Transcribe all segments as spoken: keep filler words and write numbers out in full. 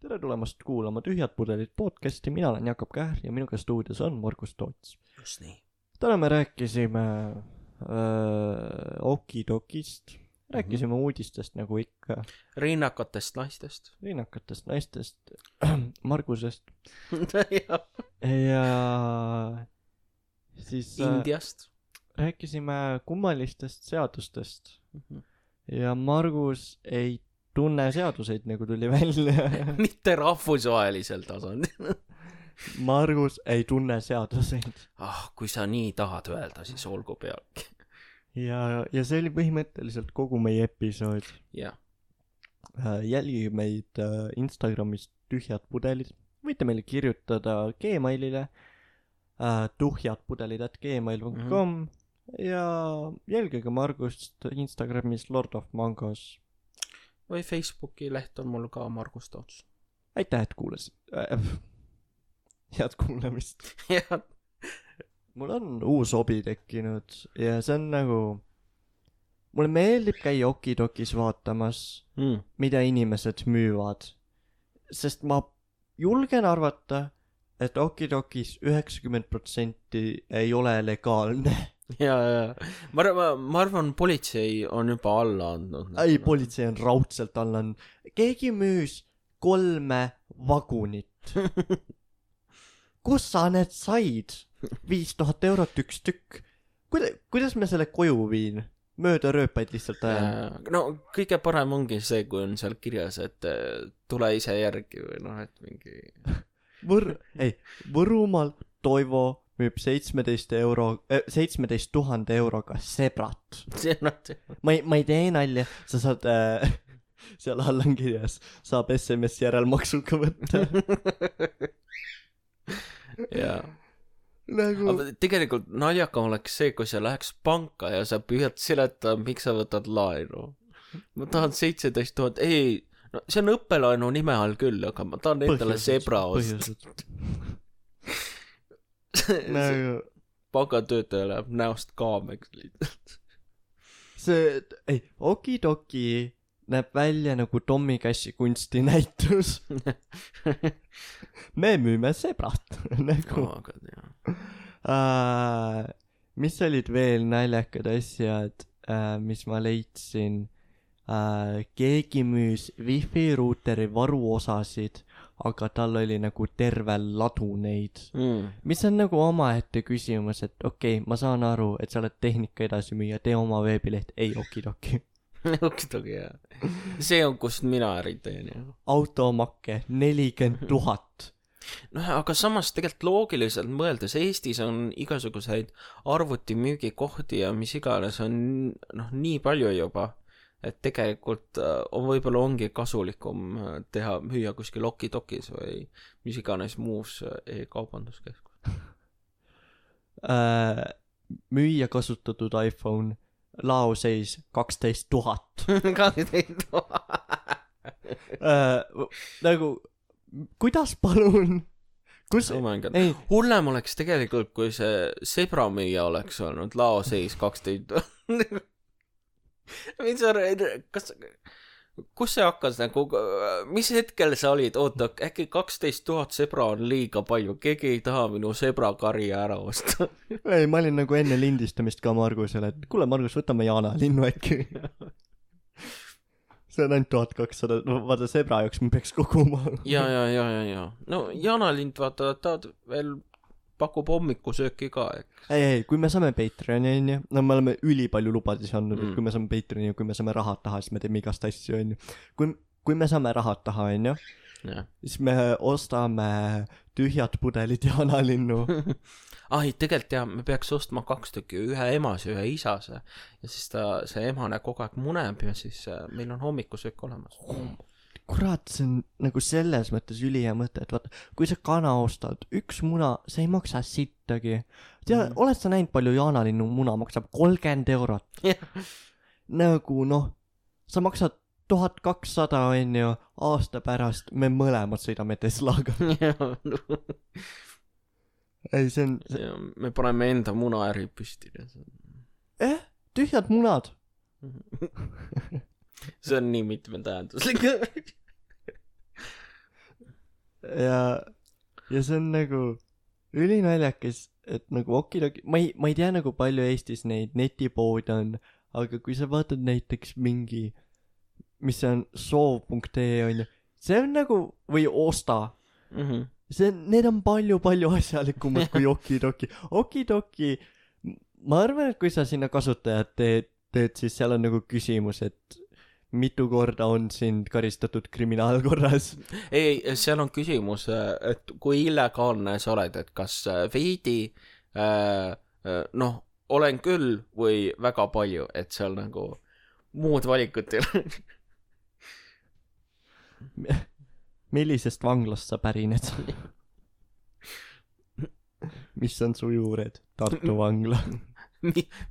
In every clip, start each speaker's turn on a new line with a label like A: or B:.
A: tere tulemast kuulama Tühjad pudelid podcasti, mina olen Jakob Kähr ja minuga stuudios on Margus Toots.
B: Just nii.
A: Täna me rääkisime öö, okidokist, rääkisime mm-hmm. uudistest nagu ikka.
B: Rinnakatest naistest.
A: Rinnakatest naistest, Margusest. ja siis
B: Indiast.
A: Äh, rääkisime kummalistest seadustest mm-hmm. ja Margus ei tunne seaduseid, nagu tuli välja.
B: Mitte rahvusvahelisel tasandil.
A: Margus ei tunne seaduseid.
B: Ah, kui sa nii tahad öelda, siis olgu pealgi.
A: Ja, ja see oli põhimõtteliselt kogu meie episood.
B: Jah.
A: Jälgi meid Instagramis Tühjad pudelid. Võite meile kirjutada Gmailile tuhjadpudelid at gmail dot com mm-hmm. ja jälgige Margust Instagramis Lord of Mangos.
B: Või Facebooki leht on mul ka Margus Toots.
A: Aitäh, et kuulasid. Äh, head kuulamist.
B: Jah.
A: Mul on uus hobi tekkinud ja see on nagu... Mulle meeldib käia okidokis vaatamas, mm. mida inimesed müüvad. Sest ma julgen arvata, et okidokis üheksakümmend protsenti ei ole legaalne.
B: Ja, ja. Ma, ma, ma arvan, politsei on juba alla andnud.
A: Ei, politsei on raudselt alla andnud. Keegi müüs kolme vagunit. Kus sa need said? viis tuhat eurot üks tükk. Kuida, kuidas me selle koju viin? Mööda rööpaid lihtsalt ajan.
B: No, kõige parem ongi see, kui on seal kirjas, et tule ise järgi või noh, et mingi...
A: Võr... Ei, Võrumaal Toivo müüb seitsmeteist euro, seitsmeteist tuhande euroga sebrat.
B: See on see.
A: Ma ei, ma ei tee nalja, sa saad, äh, seal all on kirjas, saab S M S järelmaksuga võtta.
B: Jaa.
A: Nagu...
B: Aga tegelikult naljakam oleks see, kui sa läheks panka ja sa püüad seletada, miks sa võtad laenu. Ma tahan seitseteist tuhat, ei, no see on õppelaenu nime all küll, aga ma tahan endale sebra osta.
A: Nagu...
B: Pangatöötaja läheb näost kaameks lihtsalt.
A: See, ei, okidoki näeb välja nagu Tommy Cashi kunstinäitus. Me müüme sebrat. Nagu.
B: Oh,
A: uh, mis olid veel naljakad asjad, uh, mis ma leidsin? Uh, keegi müüs wifi ruuteri varuosasid, aga tal oli nagu terve ladu neid. Mm. Mis on nagu omaette küsimus, et okei, okay, ma saan aru, et sa oled tehnika edasi müüa, tee oma veebileht, ei okidoki.
B: Okidoki, jah. See on, kust mina äri teen, jah.
A: Automakke, nelikümmend tuhat.
B: No, aga samas tegelikult loogiliselt mõeldes, Eestis on igasuguseid arvutimüügikohti ja mis iganes on noh, nii palju juba. Et tegelikult on võib-olla ongi kasulikum teha, müüa kuskil okidokis või mis iganes muus e-kaubanduskeskus.
A: Äh, müüa kasutatud iPhone, laoseis kaksteist tuhat.
B: kaksteist tuhat.
A: äh, nagu, kuidas palun? Kus...
B: Oh hullem oleks tegelikult, kui see sebramüüja oleks olnud laoseis kaksteist tuhat. Mis sa, kas, kus see hakkas nagu, mis hetkel sa olid, oota, äkki kaksteist tuhat sebra on liiga palju, keegi ei taha minu sebrakarja ära osta.
A: Ei, ma olin nagu enne lindistamist ka Margusele, et kuule Margus, võtame Jaana linnu äkki. See on ainult tuhat kakssada, no vaata sebra jaoks me peaks koguma.
B: ja, ja, ja, ja, ja. No Jaana lind, vaata, ta veel pakub hommikusööki ka, eks.
A: Ei, ei, kui me saame Patreoni, onju, no me oleme üli palju lubadisi andnud, mm. et kui me saame Patreoni ja kui me saame rahad taha, siis me teeme igast asju, onju. Kui, kui me saame rahad taha, onju, yeah. siis me ostame Tühjad pudelid ja analinnu.
B: Ai, tegelikult jah, me peaks ostma kaks tükki, ühe emas ja ühe isase. Ja siis ta, see emane kogu aeg muneb ja siis meil on hommikusöök olemas.
A: Mm. Kurat, see on nagu selles mõttes ülihea mõte, et vaata, kui sa kana ostad, üks muna, see ei maksa sittagi. Tea, mm. oled sa näinud palju Jaanalinnu muna maksab kolmkümmend eurot.
B: Yeah.
A: Nagu noh, sa maksad tuhat kakssada on ju, aasta pärast me mõlemad sõidame Teslaga. Ei, see on...
B: See on... Me paneme enda munaäri püsti.
A: Eh, tühjad munad.
B: See on nii mitmetähenduslik.
A: ja ja see on nagu ülinaljakas, et nagu okidoki, ma ei, ma ei tea nagu palju Eestis neid netipoode on, aga kui sa vaatad näiteks mingi, mis see on, soov punkt ee on ju, see on nagu, või osta
B: mm-hmm.
A: see, need on palju-palju asjalikumad kui okidoki. Okidoki, ma arvan, et kui sa sinna kasutajad teed, teed, siis seal on nagu küsimus, et mitu korda on sind karistatud kriminaalkorras.
B: ei, seal on küsimus, et kui illegaalne sa oled, et kas veidi äh, noh, olen küll või väga palju, et seal nagu muud valikut ei ole.
A: Millisest vanglast sa pärined? Mis on su juured? Tartu vangla.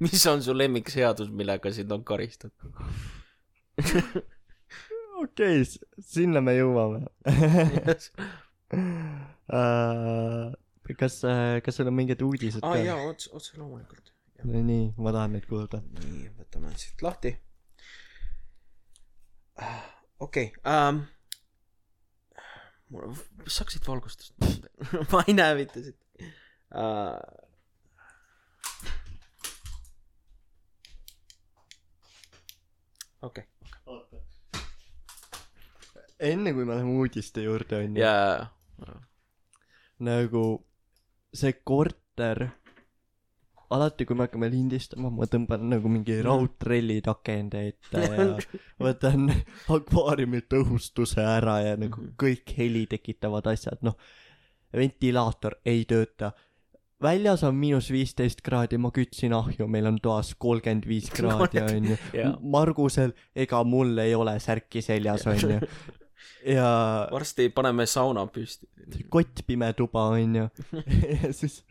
B: Mis on su lemmikseadus, millega sind on karistatud?
A: Okei, sinna me jõuame.
B: Yes.
A: uh, kas, kas sul on mingid uudised
B: ah, ka? Jaa, otse, otse loomulikult.
A: No, nii, ma tahan neid kuulda.
B: Nii, võtame siit lahti. Okei, okay, um, saaksid valgustust? Ma ei näe mitte siit. Uh, okei. Okay.
A: Enne kui me läheme uudiste juurde on
B: ju yeah.
A: nagu see korter, alati kui me hakkame lindistama, ma tõmban nagu mingi raudtrelli takende ette ja võtan akvaariumi tõhustuse ära ja nagu kõik heli tekitavad asjad, noh, ventilaator ei tööta. Väljas on miinus viisteist kraadi, ma kütsin ahju, meil on toas kolmkümmend viis kraadi on ju. Yeah. Margusel, ega mul ei ole särki seljas on ju. Ja
B: varsti paneme sauna püsti.
A: Kottpime tuba on ju. Ja siis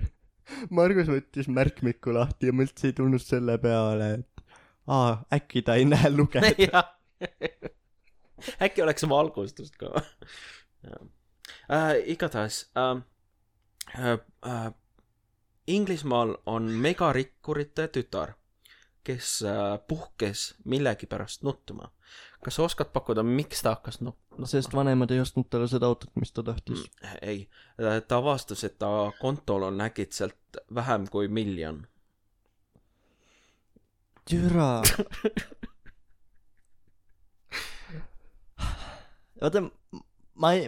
A: Margus võttis märkmiku lahti ja mõldse ei tulnud selle peale, et aa, äkki ta ei näe lugeda.
B: Äkki oleks valgustust ka. äh, igatahes äh, äh, äh, Inglismaal on megarikkurite tütar, kes äh, puhkes millegi pärast nuttuma. Kas sa oskad pakkuda, miks ta hakkas nuttuma?
A: Sest vanemad ei ostnud talle seda autot, mis ta tahtis.
B: Mm, ei, ta avastas, et ta kontol on äkitselt vähem kui miljon.
A: Türa. Oota, ma ei...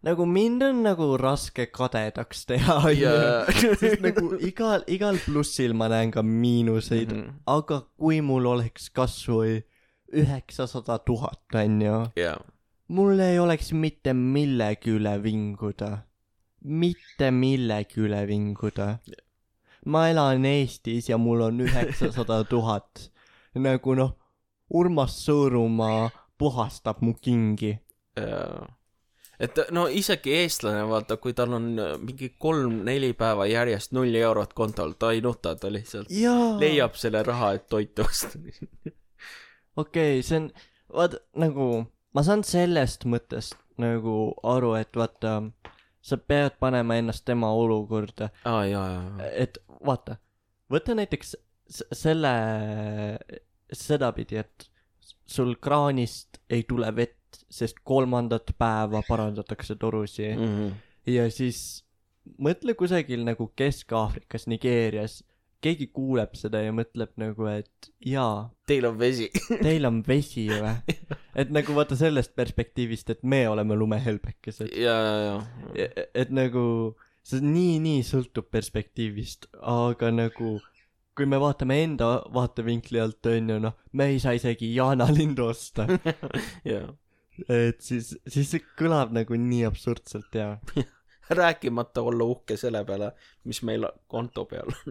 A: Nagu mind on nagu raske kadedaks teha yeah. Sest nagu igal, igal plussil ma näen ka miinuseid mm-hmm. aga kui mul oleks kasvõi üheksasada tuhat on ju
B: yeah.
A: mul ei oleks mitte millegi üle vinguda mitte millegi üle vinguda yeah. Ma elan Eestis ja mul on üheksasada tuhat nagu noh Urmas Sõõrumaa puhastab mu kingi
B: yeah. Et no isegi eestlane, vaata, kui tal on mingi kolm-neli päeva järjest nulli eurot kontol, ta ei nuta, ta lihtsalt Jaa. leiab selle raha, et toitu osta.
A: Okei, see on, vaata, nagu, ma saan sellest mõttest nagu aru, et vaata, sa pead panema ennast tema olukorda.
B: Aa, jaa, jaa.
A: Et vaata, võta näiteks selle, sedapidi, et sul kraanist ei tule vett, sest kolmandat päeva parandatakse torusi
B: mm-hmm.
A: ja siis mõtle kusagil nagu Kesk-Aafrikas, Nigeerias, keegi kuuleb seda ja mõtleb nagu, et jaa,
B: teil on vesi
A: teil on vesi või? Et nagu vaata sellest perspektiivist, et me oleme lumehelbekesed
B: ja, ja, ja.
A: et nagu see nii-nii sõltub perspektiivist, aga nagu kui me vaatame enda vaatevinkli alt on ju, noh, me ei saa isegi jaanalindu osta
B: jaa
A: et siis, siis see kõlab nagu nii absurdselt ja
B: rääkimata olla uhke selle peale, mis meil konto peal on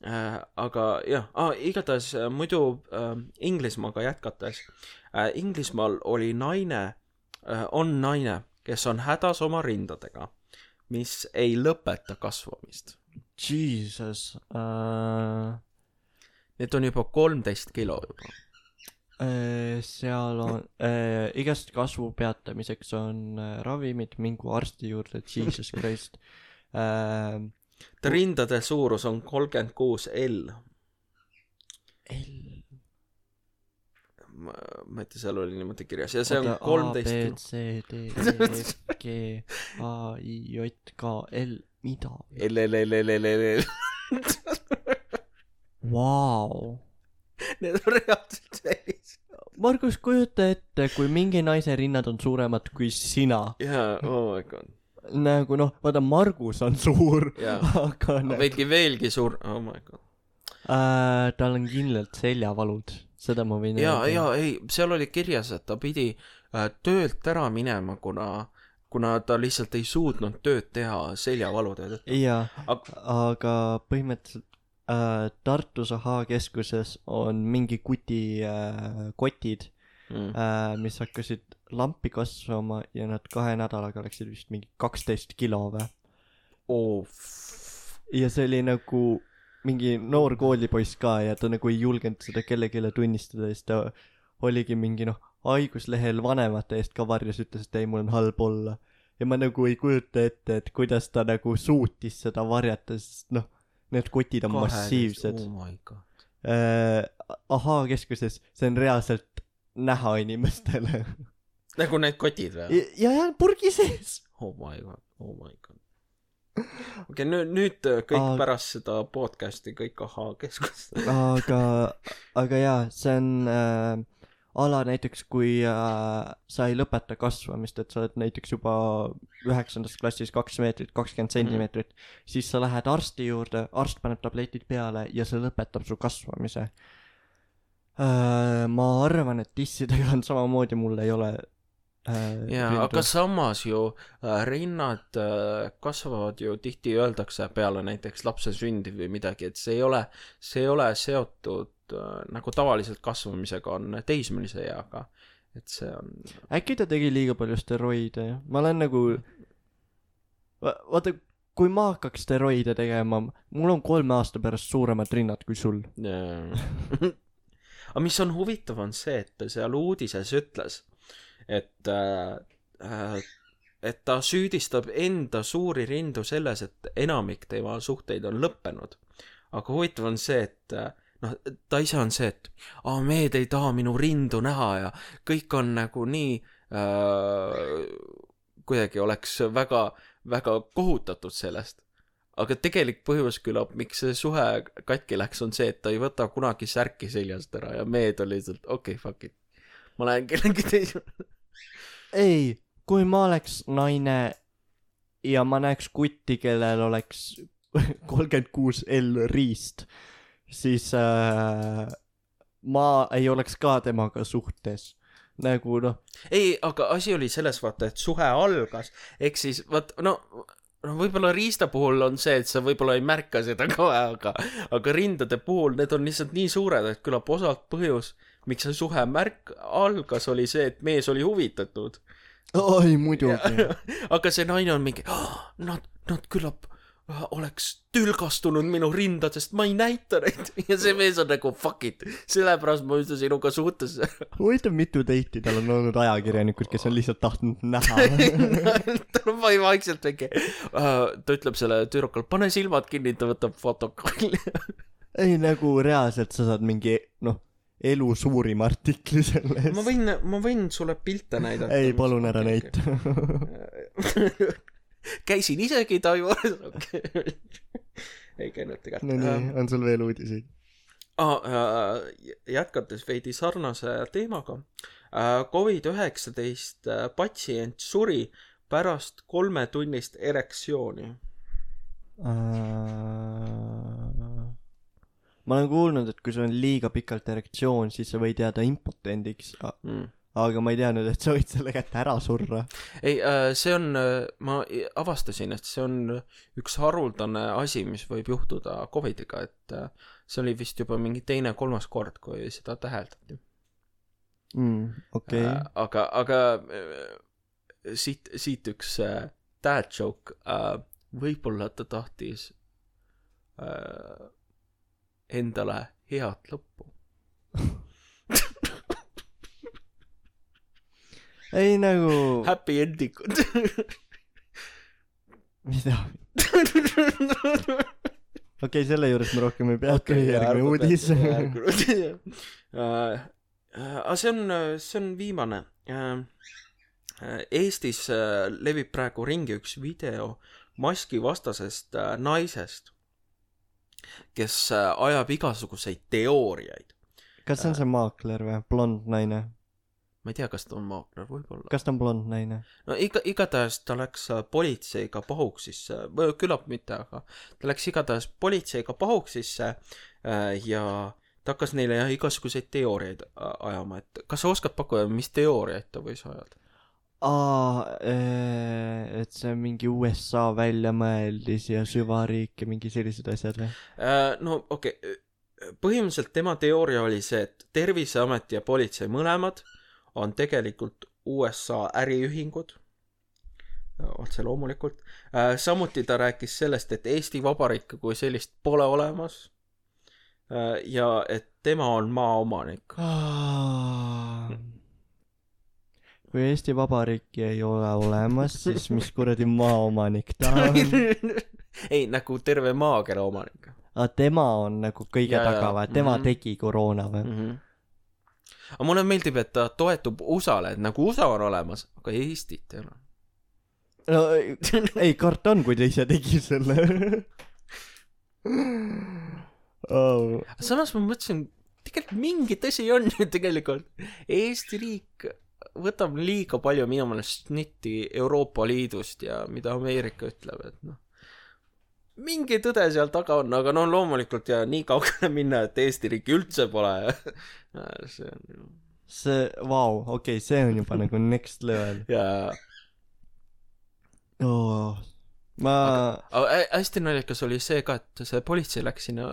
B: äh, aga jah, ah, igatahes muidu äh, Inglismaaga jätkates äh, Inglismaal oli naine äh, on naine, kes on hädas oma rindadega, mis ei lõpeta kasvamist.
A: Jesus uh...
B: need on juba kolmteist kilo juba.
A: Seal on äh, igast kasvu peatamiseks on äh, ravimid, mingu arsti juurde, Jesus Christ äh,
B: ta rindade suurus on kolmkümmend kuus L
A: L
B: ma, ma ei tea, seal oli niimoodi kirjas ja see
A: Oota,
B: on kolmteist
A: A,
B: kilo.
A: B, C, D, E, F, G, A, I, J, K, L, mida?
B: L, L, L, L, L, L.
A: Vau.
B: Need on reaalselt sellised.
A: Margus, kujuta ette, kui mingi naise rinnad on suuremad kui sina.
B: jaa, oh my god.
A: Nagu noh, vaata Margus on suur, aga
B: no, veidki veelgi suur, oh my god.
A: Äh, tal on kindlalt seljavalud, seda ma võin
B: jaa, jaa, ei, seal oli kirjas, et ta pidi äh, töölt ära minema, kuna, kuna ta lihtsalt ei suutnud tööd teha seljavalude tõttu.
A: jaa,
B: aga,
A: aga põhimõtteliselt äh, Tartus Ahhaa-keskuses on mingi kuti äh, kotid, mm. äh, mis hakkasid lampi kasvama ja nad kahe nädalaga läksid vist mingi kaksteist kilo või.
B: oh.
A: ja see oli nagu mingi noor koolipoiss ka ja ta nagu ei julgenud seda kellelegi tunnistada ja siis ta oligi mingi noh haiguslehel vanemate eest ka varjas, ütles, et ei, mul on halb olla ja ma nagu ei kujuta ette, et kuidas ta nagu suutis seda varjata, sest noh, need kotid on Kahe massiivsed.
B: Oh my god.
A: äh, Ahhaa-keskuses see on reaalselt näha inimestele.
B: Nagu need kotid või?
A: ja, ja purgi sees.
B: Oh my god, oh my god. okei okay,, nüüd, nüüd kõik aga... pärast seda podcasti kõik Ahhaa-keskust.
A: aga, aga jaa, see on äh, ala näiteks, kui äh, sa ei lõpeta kasvamist, et sa oled näiteks juba üheksandas klassis kaks meetrit, kakskümmend sentimeetrit, mm. siis sa lähed arsti juurde, arst paneb tabletid peale ja see lõpetab su kasvamise. Äh, ma arvan, et tissidega on samamoodi, mul ei ole äh,
B: jaa, aga samas ju äh, rinnad äh, kasvavad ju tihti öeldakse peale näiteks lapse sündi või midagi, et see ei ole, see ei ole seotud äh, nagu tavaliselt kasvamisega on teismelise eaga, et see on
A: äkki ta tegi liiga palju steroide, ma olen nagu Va vaata, kui ma hakkaks steroide tegema, mul on kolme aasta pärast suuremad rinnad kui sul.
B: Yeah. aga mis on huvitav on see, et ta seal uudises ütles, et äh, et ta süüdistab enda suuri rindu selles, et enamik tema suhteid on lõppenud. aga huvitav on see, et noh, ta ise on see, et aa, mehed ei taha minu rindu näha ja kõik on nagu nii äh, kuidagi oleks väga, väga kohutatud sellest. aga tegelik põhjus küllap, miks see suhe katki läks, on see, et ta ei võta kunagi särki seljast ära ja mehed oli lihtsalt, okei, okay, fuck it. ma lähen kellegi teise.
A: ei, kui ma oleks naine ja ma näeks kutti, kellel oleks kolmkümmend kuus L riist, siis äh, ma ei oleks ka temaga suhtes. Nagu noh.
B: ei, aga asi oli selles vaata, et suhe algas, ehk siis vaat, no no võib-olla riista puhul on see, et sa võib-olla ei märka seda ka, aga, aga rindade puhul need on lihtsalt nii suured, et küllap osalt põhjus, miks see suhe märk algas, oli see, et mees oli huvitatud.
A: oi, muidugi.
B: aga see naine on mingi, oh, nad, nad küllap oleks tülgastunud minu rindadest, ma ei näita neid. ja see mees on nagu fuck it, sellepärast ma üldse sinuga suhtes.
A: huvitav, mitu teiti tal on olnud ajakirjanikud, kes on lihtsalt tahtnud näha.
B: tal on vaikselt väike uh, ta ütleb selle tüdrukul, pane silmad kinni, ta võtab fotokolli.
A: ei, nagu reaalselt sa saad mingi noh, elu suurim artikli sellest.
B: ma võin, ma võin sulle pilte näidata.
A: ei, palun ära näita.
B: käisin isegi ta juures. Okay. ei käinud tegelikult.
A: no nii, on sul veel uudiseid?
B: Ah, äh, jätkates veidi sarnase teemaga. Äh, covid üheksateist patsient suri pärast kolmetunnist erektsiooni.
A: Uh, ma olen kuulnud, et kui sul on liiga pikalt erektsioon, siis sa võid jääda impotendiks. Mm. Aga ma ei teadnud, et sa võid selle kätte ära surra.
B: ei, see on, ma avastasin, et see on üks haruldane asi, mis võib juhtuda covidiga, et see oli vist juba mingi teine, kolmas kord, kui seda täheldati.
A: Mm, okei. Okay.
B: Aga, aga siit, siit üks dad joke, võib-olla ta tahtis endale head lõppu.
A: ei nagu
B: happy ending.
A: mida? okei, selle juures me rohkem ei peatu. okay, järgmine uudis.
B: uh, aga see on, see on viimane. Eestis levib praegu ringi üks video maski vastasest naisest, kes ajab igasuguseid teooriaid.
A: Kas see on see maakler või? Blond naine?
B: Ma ei tea, kas ta on maakler, võib-olla.
A: Kas ta on blond naine?
B: No iga, igatahes ta läks politseiga pahuksisse, või küllap mitte, aga ta läks igatahes politseiga pahuksisse ja ta hakkas neile jah igasuguseid teooriaid ajama, et kas sa oskad pakkuda, mis teooriaid ta võis ajada?
A: Aa, et see mingi U S A väljamõeldis ja süvariik ja mingi sellised asjad või?
B: No okei, okay. Põhimõtteliselt tema teooria oli see, et Terviseamet ja politsei mõlemad on tegelikult U S A äriühingud, otse loomulikult. Samuti ta rääkis sellest, et Eesti Vabariik kui sellist pole olemas ja et tema on maaomanik.
A: Kui Eesti Vabariiki ei ole olemas, siis mis kuradi maaomanik ta on?
B: Ei, nagu terve maakera omanik.
A: A, tema on nagu kõige ja, taga või? Tema mm-hmm. tegi koroona või? Mm-hmm.
B: Aga mulle meeldib, et ta toetub U S A-le, et nagu U S A on olemas, aga Eestit ei ole.
A: No ei, kart on, kui ta ise tegi selle. Oh.
B: Samas ma mõtlesin, tegelikult mingi tõsi on ju tegelikult. Eesti riik võtab liiga palju minu meelest snitti Euroopa Liidust ja mida Ameerika ütleb, et noh. Mingi tõde seal taga on, aga no loomulikult ja nii kaugele minna, et Eesti riiki üldse pole. See on ju...
A: See, vau, wow, okei, okay, see on juba nagu next level.
B: Jaa.
A: Oh, ma...
B: Aga, aga hästi naljakas oli see ka, et see politsei läks sinna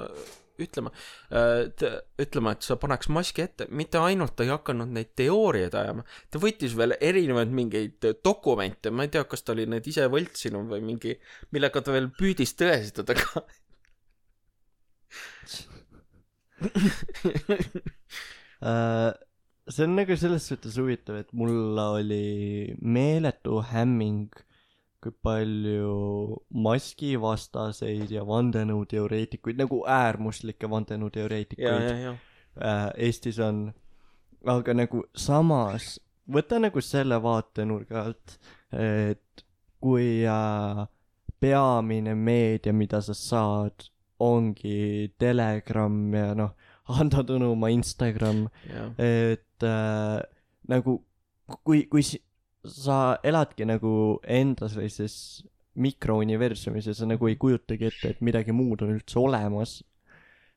B: ütlema, et, ütlema, et sa paneks maski ette. Mitte ainult ta ei hakanud neid teooriaid ajama. Ta võttis veel erinevaid mingeid dokumente. Ma ei tea, kas ta oli need ise võltsinud või mingi, millega ta veel püüdis tõestada ka.
A: See on nagu selles suhtes huvitav, et mul oli meeletu hämming, kui palju maskivastaseid ja vandenõuteoreetikuid, nagu äärmuslikke vandenõuteoreetikuid Eestis on. Aga nagu samas, võta nagu selle vaatenurga alt, et kui peamine meedia, mida sa saad, ongi Telegram ja noh, Hando Tõnumaa Instagram, yeah. et äh, nagu kui, kui sa eladki nagu enda sellises mikrouniversumis ja sa nagu ei kujutagi ette, et midagi muud on üldse olemas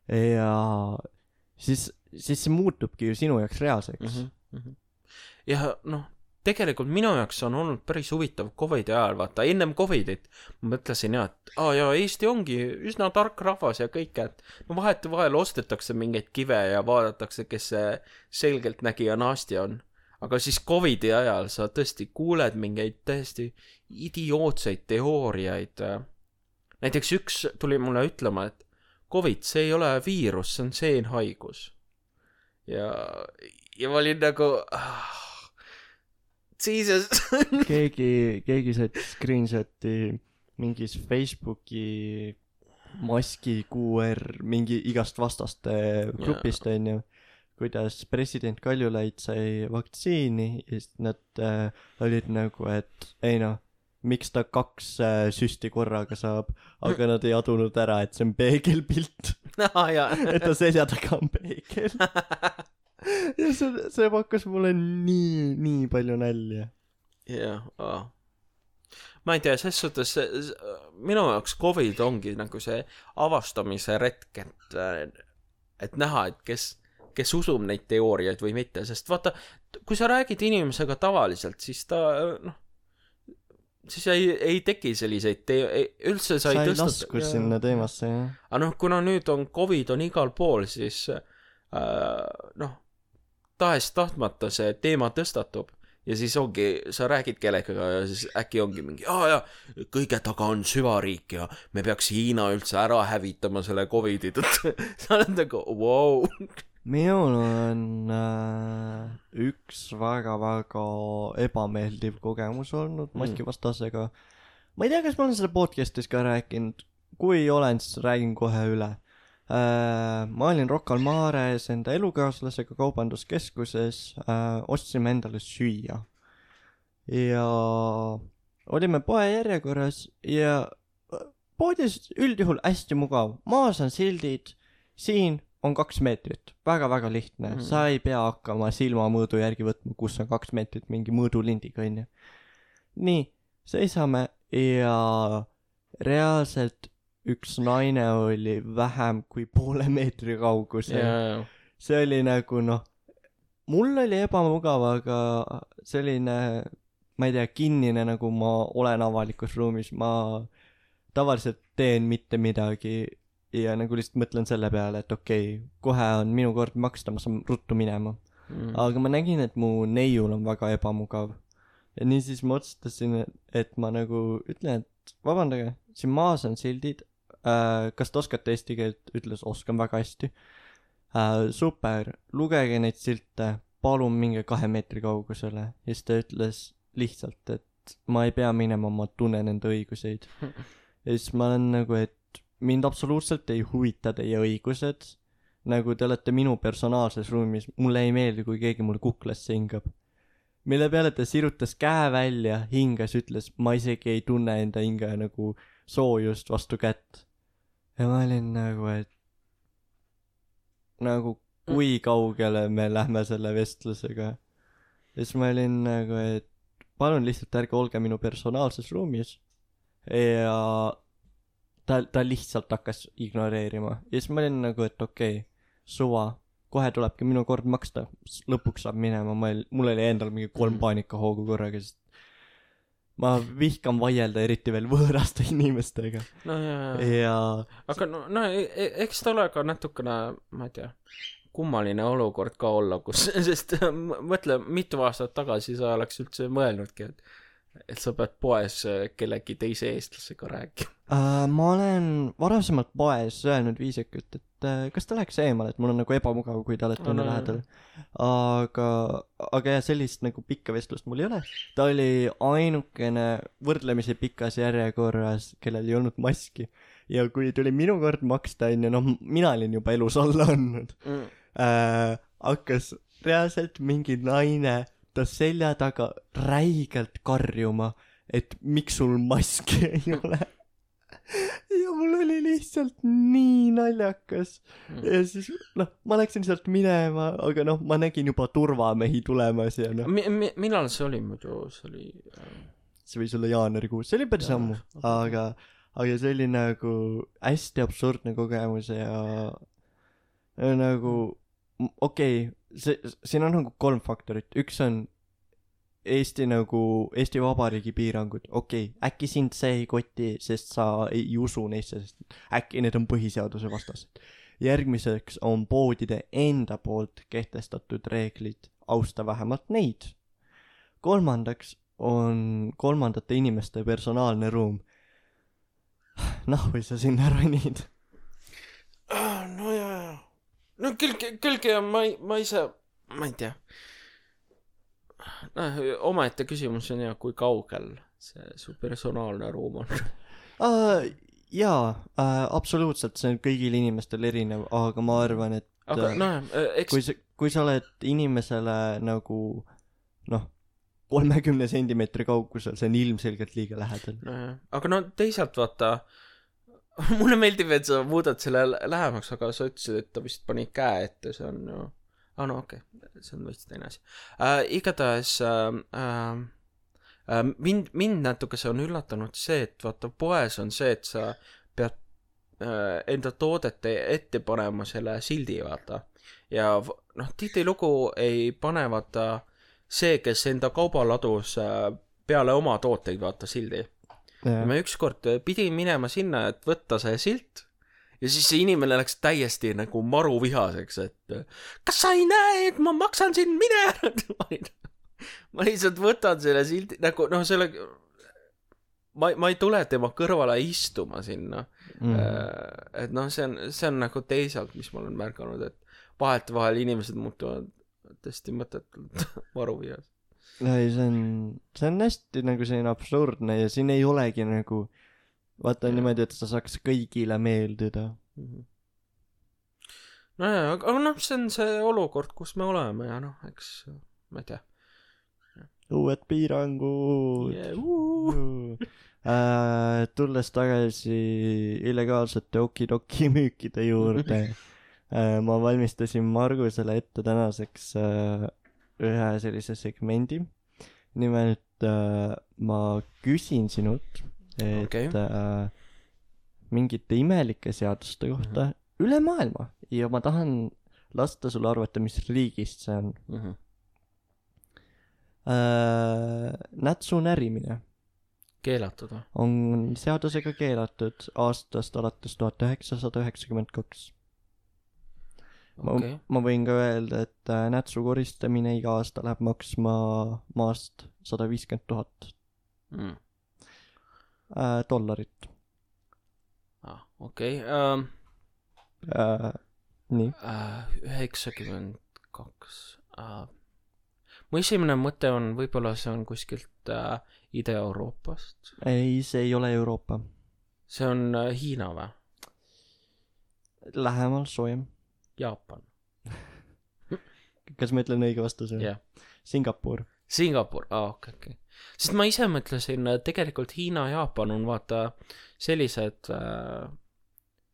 A: ja siis, siis see muutubki ju sinu jaoks reaalseks.
B: Mm-hmm. Ja noh, tegelikult minu jaoks on olnud päris huvitav Covidi ajal, vaata, ennem Covidit ma mõtlesin jah, et aa ja Eesti ongi üsna tark rahvas ja kõik, et no vahetu vahel ostetakse mingeid kive ja vaadatakse, kes see selgelt nägija naasti on. Aga siis Covidi ajal sa tõesti kuuled mingeid täiesti idiootseid teooriaid. Näiteks üks tuli mulle ütlema, et Covid, see ei ole viirus, see on seenhaigus. Ja, ja ma olin nagu... Ah, Jesus.
A: keegi, keegi said screenshoti mingis Facebooki maski Q R mingi igast vastaste grupist yeah. on ju. Kuidas president Kaljulaid sai vaktsiini ja siis nad äh, olid nagu, et ei noh, miks ta kaks äh, süsti korraga saab, aga nad ei adunud ära, et see on peegelpilt. et ta selja taga on peegel. ja see, see pakkas mulle nii, nii palju nälja.
B: jah, aa. Ma ei tea, ses suhtes minu jaoks Covid ongi nagu see avastamise retk, et, et näha, et kes kes usub neid teooriaid või mitte, sest vaata, kui sa räägid inimesega tavaliselt, siis ta, noh, siis ei, ei teki selliseid te-, üldse sa ei,
A: sa ei lasku sinna teemasse, jah.
B: Aga noh, kuna nüüd on Covid on igal pool, siis äh, noh, tahes tahtmata see teema tõstatub ja siis ongi, sa räägid kellega ja siis äkki ongi mingi, aa ja, kõige taga on süvariik ja me peaks Hiina üldse ära hävitama selle Covidi tõttu. Sa oled nagu, wow.
A: Minul on äh, üks väga-väga ebameeldiv kogemus olnud maskivastasega. Ma ei tea, kas ma olen selle podcastis ka rääkinud. Kui olen, siis räägin kohe üle. äh, ma olin Rocca al Mares enda elukaaslasega kaubanduskeskuses, äh, ostsime endale süüa ja olime poe järjekorras ja poodis üldjuhul hästi mugav, maas on sildid, siin on kaks meetrit, väga-väga lihtne mm., sa ei pea hakkama silmamõõdu järgi võtma, kus on kaks meetrit mingi mõõdulindiga, onju. nii, seisame ja reaalselt üks naine oli vähem kui poole meetri kaugusel
B: yeah..
A: see oli nagu noh, mul oli ebamugav, aga selline, ma ei tea, kinnine nagu ma olen avalikus ruumis, ma tavaliselt teen mitte midagi ja nagu lihtsalt mõtlen selle peale, et okei, okay, kohe on minu kord maksta, ma saan ruttu minema mm.. aga ma nägin, et mu neiul on väga ebamugav ja niisiis ma otsustasin, et ma nagu ütlen, et vabandage, siin maas on sildid, äh, kas te oskate eesti keelt, ütles, oskan väga hästi äh, super, lugege neid silte, palun minge kahe meetri kaugusele ja siis ta ütles lihtsalt, et ma ei pea minema, ma tunnen enda õiguseid ja siis ma olen nagu, et mind absoluutselt ei huvita teie õigused, nagu te olete minu personaalses ruumis, mulle ei meeldi, kui keegi mul kuklasse hingab. Mille peale ta sirutas käe välja, hingas, ütles, ma isegi ei tunne enda hinge nagu soojust vastu kätt. Ja ma olin nagu, et nagu kui kaugele me lähme selle vestlusega. Ja siis ma olin nagu, et palun lihtsalt ärge olge minu personaalses ruumis. Ja ta, ta lihtsalt hakkas ignoreerima ja siis ma olin nagu, et okei, okay, suva, kohe tulebki minu kord maksta, lõpuks saab minema, ma ei, mul oli endal mingi kolm paanikahoogu korraga, sest ma vihkan vaielda eriti veel võõraste inimestega
B: no, ja,
A: ja. ja
B: aga no, no eks ta ole ka natukene, ma ei tea, kummaline olukord ka olla, kus, sest mõtle, mitu aastat tagasi sa oleks üldse mõelnudki, et et sa pead poes kellegi teise eestlasega rääkima
A: uh,. Ma olen varasemalt poes öelnud viisakalt, et uh, kas ta läheks eemale, et mul on nagu ebamugav, kui te olete no, no, lähedal. Aga, aga jah, sellist nagu pikka vestlust mul ei ole. Ta oli ainukene võrdlemisi pikas järjekorras, kellel ei olnud maski. Ja kui tuli minu kord maksta, on ju, noh, mina olin juba elus alla andnud mm. uh, hakkas reaalselt mingi naine ta selja taga räigelt karjuma, et miks sul maski ei ole. Ja mul oli lihtsalt nii naljakas. Mm. Ja siis, noh, ma läksin sealt minema, aga noh, ma nägin juba turvamehi tulemas ja noh.
B: Mi- mi- millal see oli muidu? See oli...
A: See võis olla jaanuarikuus. See oli päris ammu, aga, aga see oli nagu hästi absurdne kogemus ja nagu, okei, okay, see, siin on nagu kolm faktorit. Üks on Eesti nagu, Eesti Vabariigi piirangud. Okei, okay, äkki sind see ei koti, sest sa ei usu neisse, sest äkki need on põhiseaduse vastased. Järgmiseks on poodide enda poolt kehtestatud reeglid, austa vähemalt neid. Kolmandaks on kolmandate inimeste personaalne ruum. Noh, või sa sinna ronid?
B: No jaa, no küll, küllgi ja ma, ma ise, ma ei tea. Noh, omaette küsimus on ja, kui kaugel see su personaalne ruum on?
A: Uh, jaa, uh, absoluutselt, see on kõigil inimestel erinev, aga ma arvan, et
B: aga, no, eks...
A: kui, sa, kui sa oled inimesele nagu, noh, kolmekümne sentimeetri kaugusel, see on ilmselgelt liiga lähedal.
B: No, aga no teisalt vaata, mulle meeldib, et sa muudad selle lähemaks, aga sa ütlesid, et ta vist pani käe ette, see on ju... Ah, no okei, okay. See on võist teine asi. Äh, igatahes äh, äh, mind, mind natuke see on üllatanud see, et vaata poes on see, et sa pead äh, enda toodete ette panema selle sildi, vaata. Ja noh, tihtilugu ei pane vaata see, kes enda kaubaladus äh, peale oma tooteid vaata sildi. Ja ma ükskord pidin minema sinna, et võtta see silt. Ja siis see inimene läks täiesti nagu maru vihaseks, et kas sa ei näe, et ma maksan sind mine? Ma lihtsalt võtan selle sildi, nagu noh, selle, ma, ma ei tule tema kõrvale istuma sinna. Mm. Et noh, see on, see on nagu teisalt, mis ma olen märganud, et vahet vahel inimesed muutuvad tõesti mõtetult maru vihas.
A: Ei, see on, see on hästi nagu selline absurdne ja siin ei olegi nagu vaata ja. Niimoodi, et sa saaks kõigile meeldida. Mm-hmm.
B: nojah, aga noh, see on see olukord, kus me oleme ja noh, eks ma ei tea.
A: Uued piirangud
B: yeah, uh.
A: äh, tulles tagasi illegaalsete okidoki müükide juurde äh, ma valmistasin Margusele ette tänaseks äh, ühe sellise segmendi. Nimelt äh, ma küsin sinult et okay. äh, mingite imelike seaduste kohta mm-hmm. üle maailma ja ma tahan lasta sulle arvata, mis riigist see on. Mm-hmm. Äh, nätsu närimine
B: keelatud või?
A: On seadusega keelatud aastast alates tuhat üheksasada üheksakümmend kaks. Okay. Ma võin ka öelda, et äh, nätsu koristamine iga aasta läheb maksma maast sada viiskümmend tuhat mm. äh, dollarit.
B: Ah, okei. Okay. Um,
A: äh, nii.
B: üheksakümmend kaks. Uh, mu esimene mõte on, võib-olla see on kuskilt uh, Ida-Euroopast.
A: Ei, see ei ole Euroopa.
B: See on uh, Hiina või?
A: Lähemal soojem.
B: Jaapan.
A: Kas ma ütlen õige vastuse?
B: Yeah.
A: Singapur.
B: Singapur, aa, ah, okei, okei. Sest ma ise mõtlesin, tegelikult Hiina ja Jaapan on vaata sellised,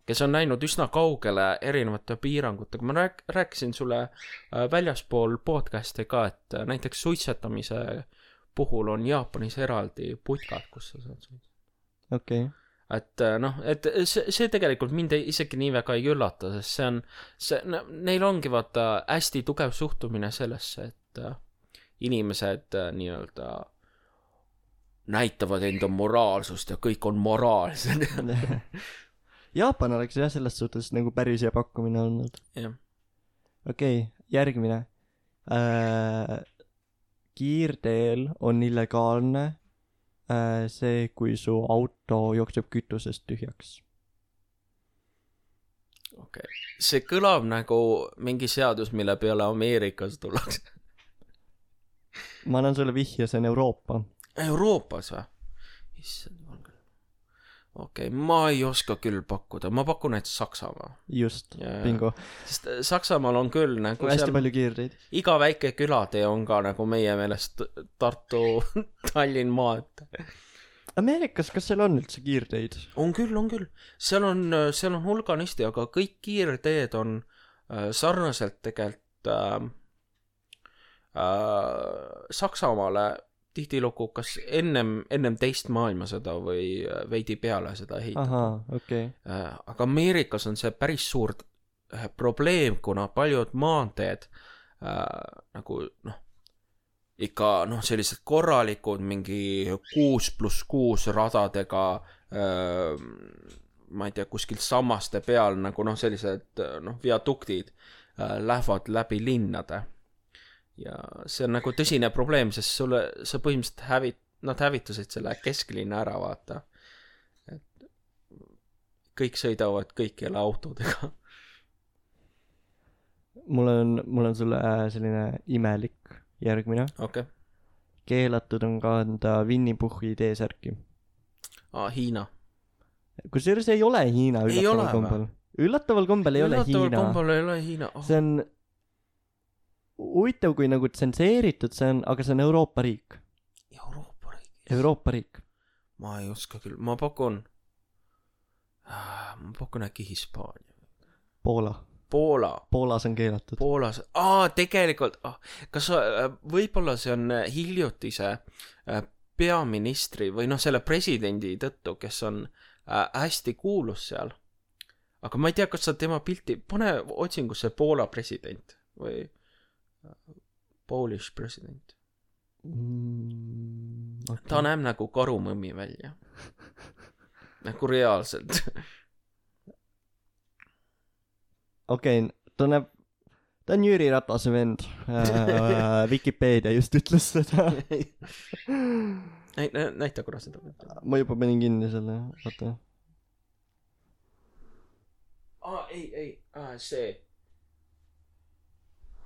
B: kes on näinud üsna kaugele erinevate piirangutega. Ma rääk- rääkisin sulle väljaspool podcasti ka, et näiteks suitsetamise puhul on Jaapanis eraldi putkad, kus sa saad suitsetada.
A: Okei. Okay.
B: Et noh, et see, see tegelikult mind isegi nii väga ei üllata, sest see on, see, neil ongi vaata hästi tugev suhtumine sellesse, et inimesed nii-öelda näitavad enda moraalsust ja kõik on moraalsed.
A: Jaapan oleks jah selles suhtes nagu päris hea pakkumine olnud.
B: Jah.
A: Okei, okay, järgmine. Äh, kiirteel on illegaalne äh, see, kui su auto jookseb kütusest tühjaks.
B: Okei. Okay. See kõlab nagu mingi seadus, mille peale Ameerikas tullakse.
A: Ma annan sulle vihje, see on Euroopa.
B: Euroopas või? Issand, okei, okay, ma ei oska küll pakkuda. Ma pakun, et Saksamaa.
A: Just, ja, bingo.
B: Sest Saksamaal on küll nagu
A: hästi seal, palju kiirteid.
B: Iga väike külatee on ka nagu meie meelest Tartu, Tallinn maad.
A: Ameerikas, kas seal on üldse kiirteid?
B: On küll, on küll. Seal on, seal on hulganisti, aga kõik kiirteed on äh, sarnaselt tegelikult äh, äh, Saksamaale tihtilugu kas ennem, ennem teist maailmasõda või veidi peale seda ehitatud.
A: Aha, okei. Okay.
B: Aga Ameerikas on see päris suur probleem, kuna paljud maanteed äh, nagu noh, ikka noh, sellised korralikud mingi kuus pluss kuus radadega äh, ma ei tea, kuskil sammaste peal nagu noh, sellised noh, viaduktid äh, lähevad läbi linnade. Ja see on nagu tõsine probleem, sest sulle, sa põhimõtteliselt hävit, nad hävitasid selle kesklinna ära, vaata. Et kõik sõidavad kõikjale autodega.
A: Mul on, mul on sulle selline imelik järgmine.
B: Okay.
A: Keelatud on kanda Winnie Puhhi T-särki.
B: Aa, Hiina.
A: Kusjuures ei ole Hiina üllataval kombel. Üllataval kombel ei ole Hiina.
B: Üllataval kombel ei ole Hiina. Oh.
A: See on huvitav, kui nagu tsenseeritud see on, aga see on Euroopa riik.
B: Euroopa riik?
A: Euroopa riik.
B: Ma ei oska küll. Ma pakun, ma pakun äkki Hispaania.
A: Poola.
B: Poola.
A: Poolas on keelatud.
B: Poolas. Aa, tegelikult. Ah, kas võib-olla see on hiljutise peaministri või noh, selle presidendi tõttu, kes on hästi kuulus seal. Aga ma ei tea, kas sa tema pilti, pane otsingusse Poola president või Polish president. Mm, okay. Ta näeb nagu karumõmmi välja. Nagu reaalselt.
A: Okei, okay, ta näeb, ta on Jüri Ratase vend. äh, Wikipedia just ütles seda.
B: Näita korra seda.
A: Ma juba panin kinni selle, vaata.
B: Aa, ei, ei, ah, see.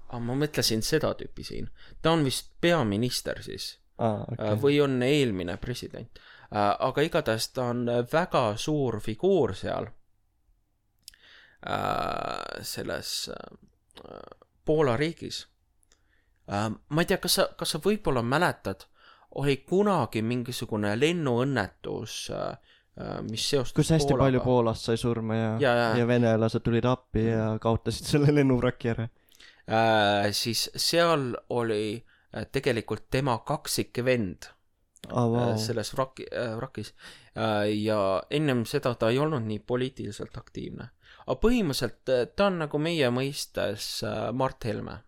B: Ah, ma mõtlesin seda tüüpi siin. Ta on vist peaminister siis.
A: Ah, okay.
B: Või on eelmine president. Aga igatahes ta on väga suur figuur seal. äh, selles äh, Poola riigis äh,. Ma ei tea, kas sa, kas sa võib-olla mäletad, oli kunagi mingisugune lennuõnnetus äh, mis seostus
A: kus hästi
B: Poolaga.
A: Palju Poolast sai surma ja,
B: ja, ja.
A: ja venelased tulid appi ja kaotasid selle lennuvraki ära.
B: Äh, siis seal oli äh, tegelikult tema kaksik vend
A: oh, wow.
B: äh, selles vraki, äh, vrakis äh, ja ennem seda ta ei olnud nii poliitiliselt aktiivne. Aga põhimõtteliselt äh, ta on nagu meie mõistes äh, Mart Helme.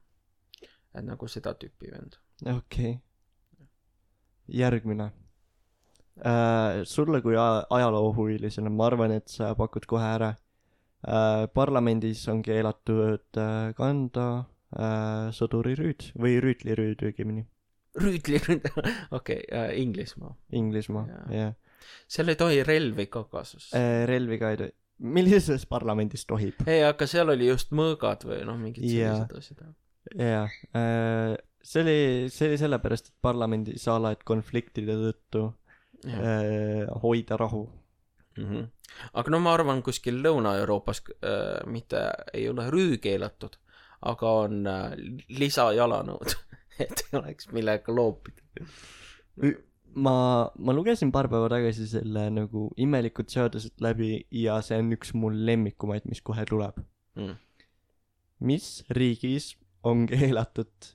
B: Et nagu seda tüüpi vend.
A: Okei okay. Järgmine äh, sulle kui ajaloohuvilisena ma arvan, et sa pakud kohe ära äh, parlamendis on keelatud äh, kanda äh, sõdurirüüd või rüütlirüüd õigemini.
B: Rüütlirüüd, okei okay, äh, Inglismaa
A: Inglismaa, jah.
B: Seal ei tohi relvi ka kasus
A: äh, relvi ka ei tohi. Millises parlamendis tohib?
B: Ei, aga seal oli just mõõgad või noh, mingid sellised asjad.
A: Jah, äh, see oli, see oli sellepärast, et parlamendi saala, et konfliktide tõttu äh, hoida rahu.
B: Mm-hmm. Aga no ma arvan, kuskil Lõuna-Euroopas äh, mitte ei ole rüü keelatud, aga on äh, lisajalanõud, et ei oleks millega loopida.
A: Ma, ma lugesin paar päeva tagasi selle nagu imelikud seadused läbi ja see on üks mul lemmikumaid, mis kohe tuleb. Mm. Mis riigis on keelatud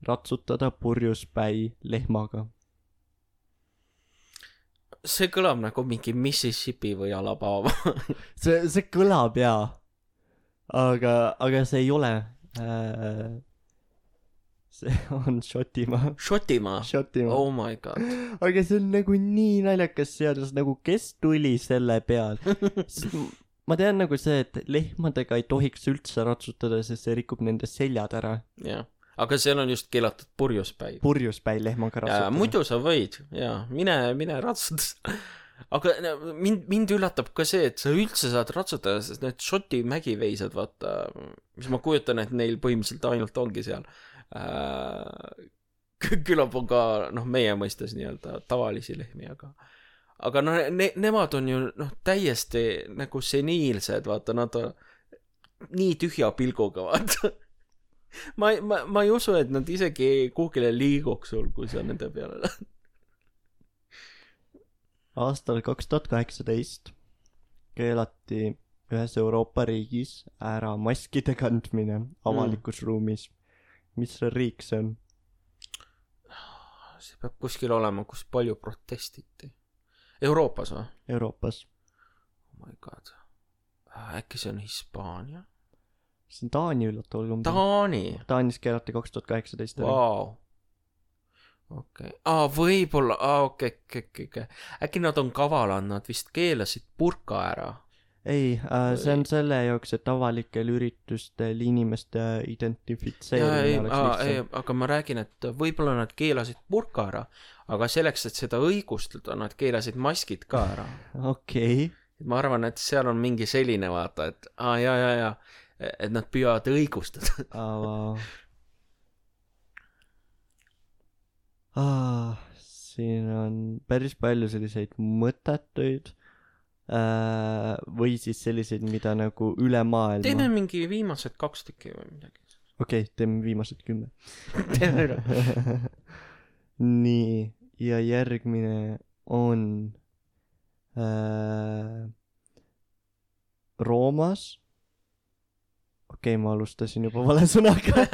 A: ratsutada purjuspäi lehmaga?
B: See kõlab nagu mingi Mississippi või Alabama.
A: see, see kõlab jaa. Aga, aga see ei ole. Äh, see on Šotimaa.
B: Šotimaa?
A: Šotimaa.
B: Oh my god.
A: Aga see on nagu nii naljakas seadus, nagu kes tuli selle peal? Ma tean nagu see, et lehmadega ei tohiks üldse ratsutada, sest see rikub nende seljad ära.
B: Jah, aga seal on just keelatud purjuspäi.
A: Purjuspäi lehmaga ratsutada.
B: Muidu sa võid, jaa, mine, mine ratsutada. Aga mind, mind üllatab ka see, et sa üldse saad ratsutada, sest need Šoti mägiveisad, vaata, mis ma kujutan, et neil põhimõtteliselt ainult ongi seal. Äh, küllap on ka, noh, meie mõistes nii-öelda tavalisi lehmi, aga aga no ne, nemad on ju noh täiesti nagu seniilsed, vaata, nad on nii tühja pilguga, vaata. ma, ma, ma ei usu, et nad isegi kuhugile liiguks sul, kui sa nende peale lähed.
A: Aastal kaks tuhat kaheksateist keelati ühes Euroopa riigis ära maskide kandmine avalikus mm. ruumis. Mis riik see on?
B: See peab kuskil olema, kus palju protestiti. Euroopas või?
A: Euroopas.
B: Oh my god. Äkki see on Hispaania?
A: See on Taani üllataval kumbi.
B: Taani?
A: Taanis keelati kaks tuhat kaheksateist.
B: Vau. Okei. Aa, võib-olla. Aa, okei, okei, okei. Äkki nad on kavalad, nad vist keelasid burka ära.
A: Ei, äh, see on selle jaoks, et avalikel üritustel inimeste identifitseerimine oleks lihtsam.
B: Aga ma räägin, et võib-olla nad keelasid burka ära, aga selleks, et seda õigustada, nad keelasid maskid ka ära.
A: Okei.
B: Okay. Ma arvan, et seal on mingi selline vaata, et aa, ja, ja, ja, et nad püüavad õigustada.
A: Aa, ah, siin on päris palju selliseid mõttetuid äh, või siis selliseid, mida nagu üle maailma.
B: Teeme mingi viimased kaks tükki või midagi.
A: Okei, okay, teeme viimased kümme. Teeme üle. Nii, ja järgmine on äh, Roomas. Okei okay,, ma alustasin juba vale sõnaga.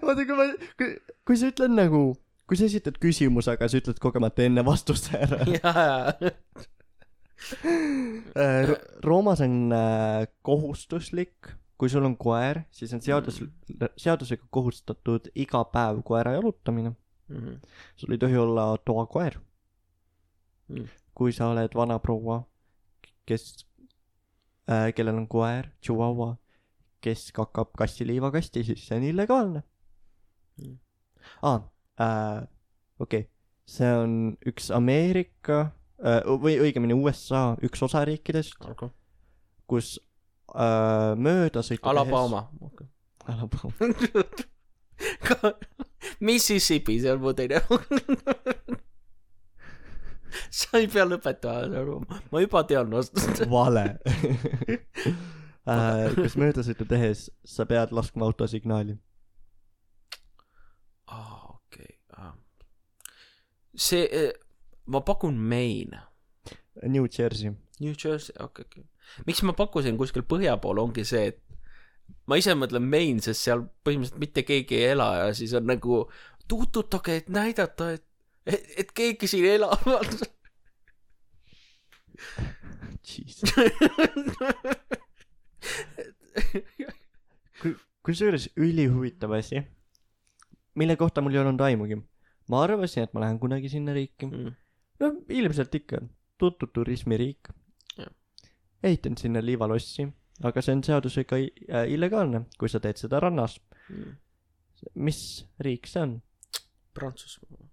A: Vaata, kui ma, kui, kui sa ütled nagu, kui sa esitad küsimus, aga sa ütled kogemata enne vastuse ära. äh, Roomas on äh, kohustuslik, kui sul on koer, siis on seadus, seadusega kohustatud iga päev koera jalutamine. Mm-hmm. Sul ei tohi olla toakoer. Mm. Kui sa oled vana proua, kes, äh, kellel on koer, chihuahua, kes kakab kassiliivakasti, siis see on illegaalne. Mm. Ah, äh, okei. Okay. See on üks Ameerika, äh, või õigemini U S A üks osariikidest, okay. Kus äh, mööda sõita
B: Alabama.
A: Tehes... Okay. Alabama.
B: Mississippi, seal mu teine. Sa ei pea lõpetama, ma juba tean vastust.
A: Vale. äh, kus möödasõitu tehes sa pead laskma autosignaali.
B: aa, okei okay. see eh, ma pakun Maine.
A: New Jersey.
B: New Jersey, okei okay, okay. Miks ma pakkusin kuskil põhja pool ongi see, et ma ise mõtlen Maine, sest seal põhimõtteliselt mitte keegi ei ela ja siis on nagu tuututage, et näidata, et, et, et keegi siin elab.
A: Jesus. Kusjuures ülihuvitav asi, mille kohta mul ei olnud aimugi. Ma arvasin, et ma lähen kunagi sinna riiki. Mm. No ilmselt ikka tuntud turismiriik. Ja. Ehitan sinna liivalossi, aga see on seadusega illegaalne, kui sa teed seda rannas. Mm. Mis riik see on?
B: Prantsusmaa.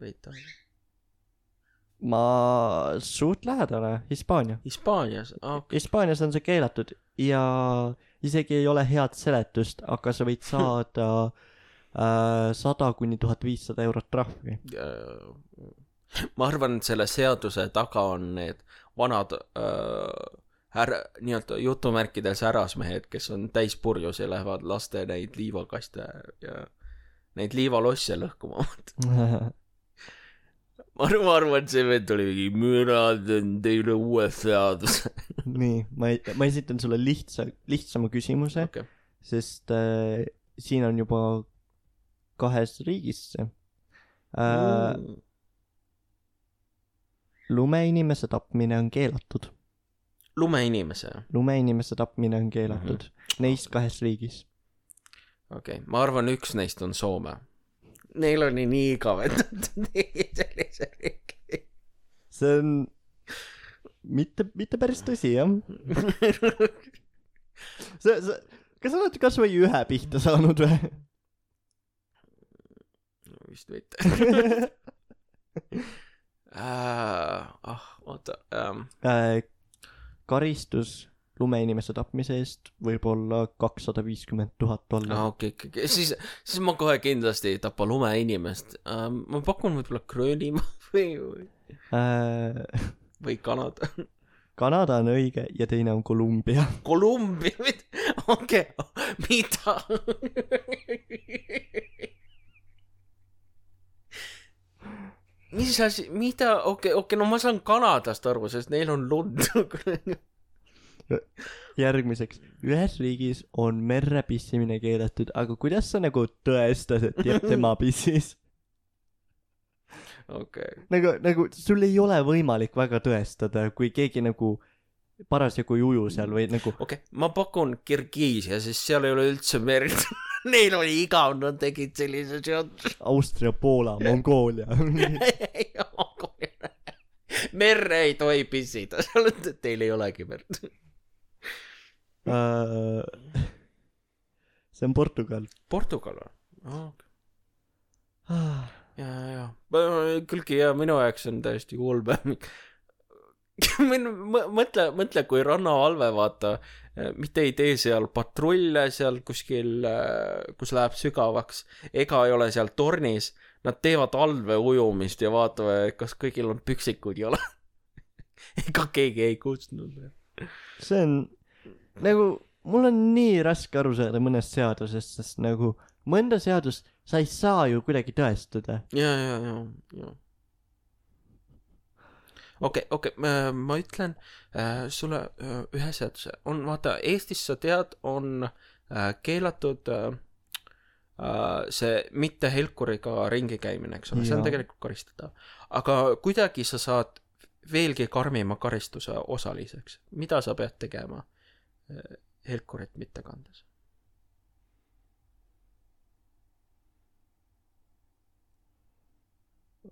B: Veita.
A: Ma suht lähedale, Hispaania.
B: Hispaanias? Okay.
A: Hispaanias on see keelatud ja isegi ei ole head seletust, aga sa võid saada äh, sada kuni tuhat viissada eurot trahvi.
B: Ma arvan, et selle seaduse taga on need vanad äh, här, nii-öelda jutumärkides härrasmehed, kes on täis purjus ja lähevad laste neid liivakaste ja neid liivalosse lõhkuma. Ma arvan, et see vend oli mingi mürad on teile uue seaduse.
A: Nii, ma, ma esitan sulle lihtsa, lihtsama küsimuse, okay. Sest äh, siin on juba kahes riigis see. Äh, mm. Lumeinimese tapmine on keelatud.
B: Lumeinimese?
A: Lumeinimese tapmine on keelatud. Mm-hmm. Neist kahes riigis.
B: Okei, okay. Ma arvan, üks neist on Soome. Neil on nii igavendatud sellise riigi.
A: See on mitte, mitte päris tõsi, jah. sa, sa, kas sa oled kas või ühe pihta saanud või?
B: No, vist võite. ah, ah, oota. Um.
A: Äh, karistus lumeinimese tapmise eest võib olla kakssada viiskümmend tuhat dollarit.
B: Ah, okei, okay, okay. siis, siis ma kohe kindlasti ei tapa lumeinimest. Uh, ma pakun võib-olla Gröönimaa või, või... Uh, või Kanada.
A: Kanada on õige ja teine on Kolumbia.
B: Kolumbia? Okei, okay. Mida? Mis asi, mida? Okei, okay, okay, no ma saan Kanadast aru, sest neil on lund.
A: Järgmiseks, ühes riigis on merre pissimine keelatud, aga kuidas sa nagu tõestad, et jääb tema pissis?
B: Okay.
A: Nagu, nagu sul ei ole võimalik väga tõestada, kui keegi nagu parasjagu ei uju seal või nagu...
B: Okei, okay. Ma pakun Kirgiisia, sest seal ei ole üldse merd. Neil oli igav, nad tegid sellise seadus.
A: Austria, Poola, Mongoolia.
B: Merre ei tohi pissida, teil ei olegi merd.
A: Uh, see on Portugal.
B: Portugal on? Oh, okay. ja, ja, külgi ja minu jaoks on täiesti ulme. mõtle, mõtle, kui rannavalve vaata, mitte ei tee seal patrulle seal kuskil, kus läheb sügavaks, ega ei ole seal tornis, nad teevad alve ujumist ja vaatavad, kas kõigil on püksikud jala. ega keegi ei kutsunud.
A: See on nagu, mul on nii raske aru saada mõnest seadusest, sest nagu mõnda seadust sa ei saa ju kuidagi tõestada.
B: Ja, ja, ja, ja. Okei, okay, okei, okay. Ma ütlen äh, sulle äh, ühe seaduse. On, vaata, Eestis sa tead, on äh, keelatud äh, see mitte helkuriga ringi käimine, eks ole, see on tegelikult karistada. Aga kuidagi sa saad veelgi karmima karistuse osaliseks. Mida sa pead tegema? Helkurit mitte kandes.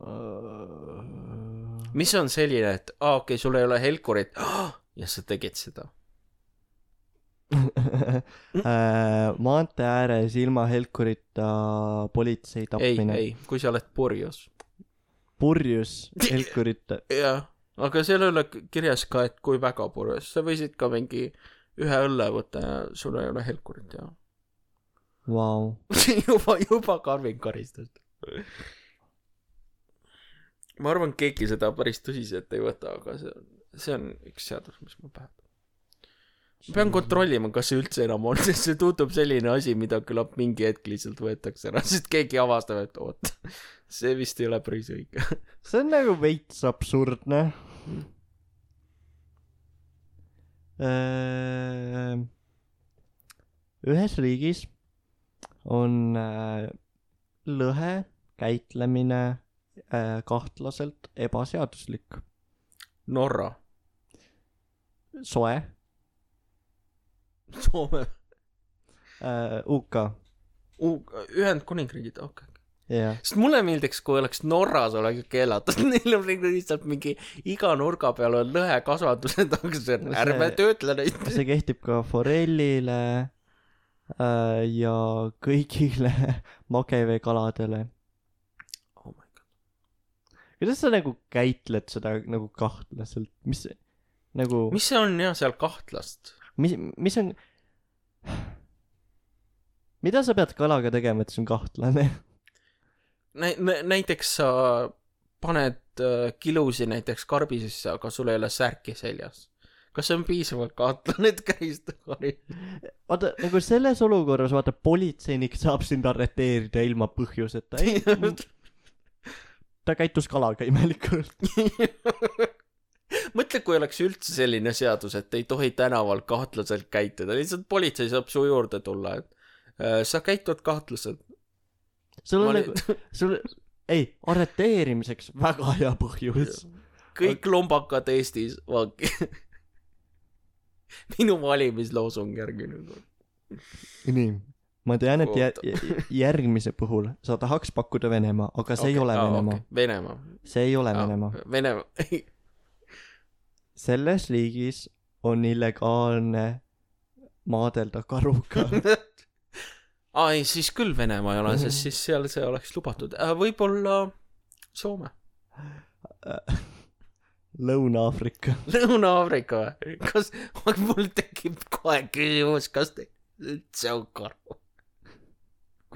B: Uh... mis on selline, et aa, okei, sul ei ole helkurit oh, ja sa tegid seda.
A: Maantee ääres ilma helkurita politsei tapmine.
B: Ei, ei, kui sa oled purjus.
A: Purjus helkurita?
B: jah, aga seal ei ole kirjas ka, et kui väga purjus. Sa võisid ka mingi ühe õlle võtta ja sul ei ole helkurit ja
A: wow.
B: juba, juba karvin karistust. Ma arvan, keegi seda päris tõsiselt ei võta, aga see on, see on üks seadus, mis mul pähe. pean kontrollima, kas see üldse enam on, sest see tundub selline asi, mida küllap mingi hetk lihtsalt võetakse ära, sest keegi avastab, et oot, see vist ei ole päris õige.
A: See on nagu veits absurdne. Ühes riigis on lõhe käitlemine kahtlaselt ebaseaduslik.
B: Norra.
A: Soe.
B: Soome.
A: U K.
B: Ühendkuningriigid, okei.
A: Okay. Yeah.
B: Sest mulle meeldiks, kui oleks Norras oleks keelatud, neil on lihtsalt mingi iga nurga peal on lõhe kasvatused, aga see on ärme töötle neid.
A: See kehtib ka forellile äh, ja kõigile mageveekaladele.
B: Oh my god.
A: Kuidas sa nagu käitled seda nagu kahtlaselt? Mis, nagu...
B: mis see on jah seal kahtlast?
A: Mis, mis on... Mida sa pead kalaga tegema, et see on kahtlane?
B: Nä- näiteks sa paned äh, kilusi näiteks karbi sisse, aga sul ei ole särki seljas. Kas see on piisavalt kahtlane, et käista kari?
A: Vaata, nagu selles olukorras, vaata, politseinik saab sind arreteerida ilma põhjuseta. Ei, ta käitus kalaga imelikult.
B: Mõtle, kui oleks üldse selline seadus, et ei tohi tänaval kahtlaselt käituda. Lihtsalt politsei saab su juurde tulla, et äh, sa käitud kahtlaselt.
A: Sul on nagu, sul, ei, arreteerimiseks väga hea põhjus.
B: Kõik lombakad Eestis vangi. Minu valimisloosung järgmine.
A: Nii, ma tean, et jär, järgmise puhul sa tahaks pakkuda Venemaa, aga see okay, ei ole ah, Venemaa. Okay.
B: Venemaa.
A: See ei ole
B: ah,
A: Venemaa.
B: Venemaa.
A: Selles liigis on illegaalne maadelda karuga.
B: Ai, siis küll Venemaa ei ole, sest siis seal see oleks lubatud. Võib-olla Soome.
A: Lõuna-Aafrika.
B: Lõuna-Aafrika või? Kas mul tekib kohe küsimus, kas te üldse on karu?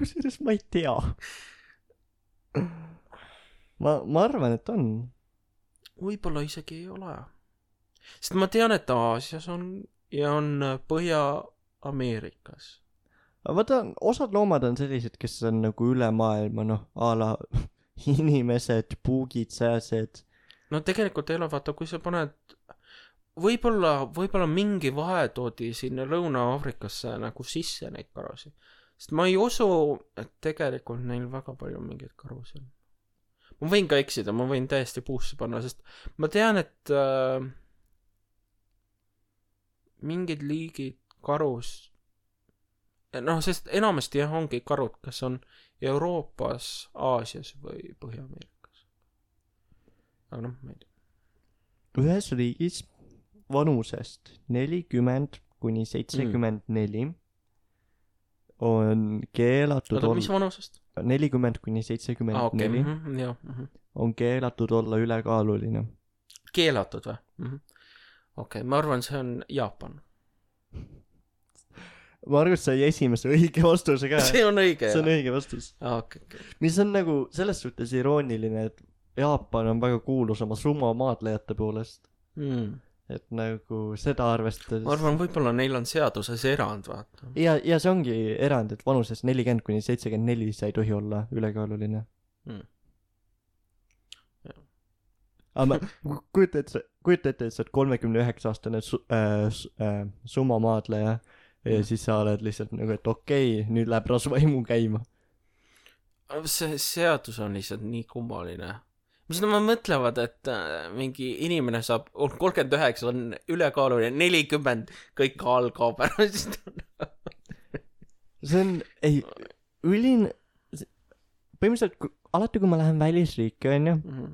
A: Kusjuures ma ei tea. Ma, ma arvan, et on.
B: Võib-olla isegi ei ole. Sest ma tean, et Aasias on ja on Põhja-Ameerikas.
A: Vaata, osad loomad on sellised, kes on nagu üle maailma, noh, a la inimesed, puugid, sääsed.
B: No tegelikult ei ole, vaata, kui sa paned, võib-olla, võib-olla mingi vahe toodi sinna Lõuna-Aafrikasse nagu sisse neid karusid. Sest ma ei usu, et tegelikult neil väga palju mingeid karusid on. Ma võin ka eksida, ma võin täiesti puusse panna, sest ma tean, et äh, mingid liigid karus noh, sest enamasti jah ongi karud, kes on Euroopas, Aasias või Põhja-Ameerikas. Aga noh, ma ei tea.
A: Ühes riigis vanusest nelikümmend kuni seitsekümmend neli on keelatud
B: Oda, mis vanusest?
A: nelikümmend kuni seitsekümmend neli
B: ah, okay. mm-hmm, jah, mm-hmm.
A: on keelatud olla ülekaaluline.
B: Keelatud või? Mm-hmm. Okei, okay, ma arvan, see on Jaapan.
A: Ma arvan, et sai esimese õige vastuse ka.
B: See on õige,
A: See on õige vastus.
B: Ah, okay, okay.
A: Mis on nagu selles suhtes irooniline, et Jaapan on väga kuulus oma sumo maadlejate poolest.
B: Mm.
A: Et nagu seda arvestades...
B: Ma arvan, võib-olla neil on seaduses erand, vaata.
A: Ja, ja see ongi erand, et vanuses nelikümmend kuni seitsekümmend neli sa ei tohi olla ülekaaluline. Mm. Aga ma kujuta ette, kujuta ette, et sa oled kolmekümne üheksa aastane su, äh, äh, sumo maadleja ja siis sa oled lihtsalt nagu, et okei, okay, nüüd läheb rasvaimu käima.
B: See seadus on lihtsalt nii kummaline. Mis nad mõtlevad, et mingi inimene saab, kolmkümmend üheksa on ülekaaluline, nelikümmend kõik all kaob ära.
A: See on, ei, ülin, põhimõtteliselt alati, kui ma lähen välisriiki, on ju, mm-hmm.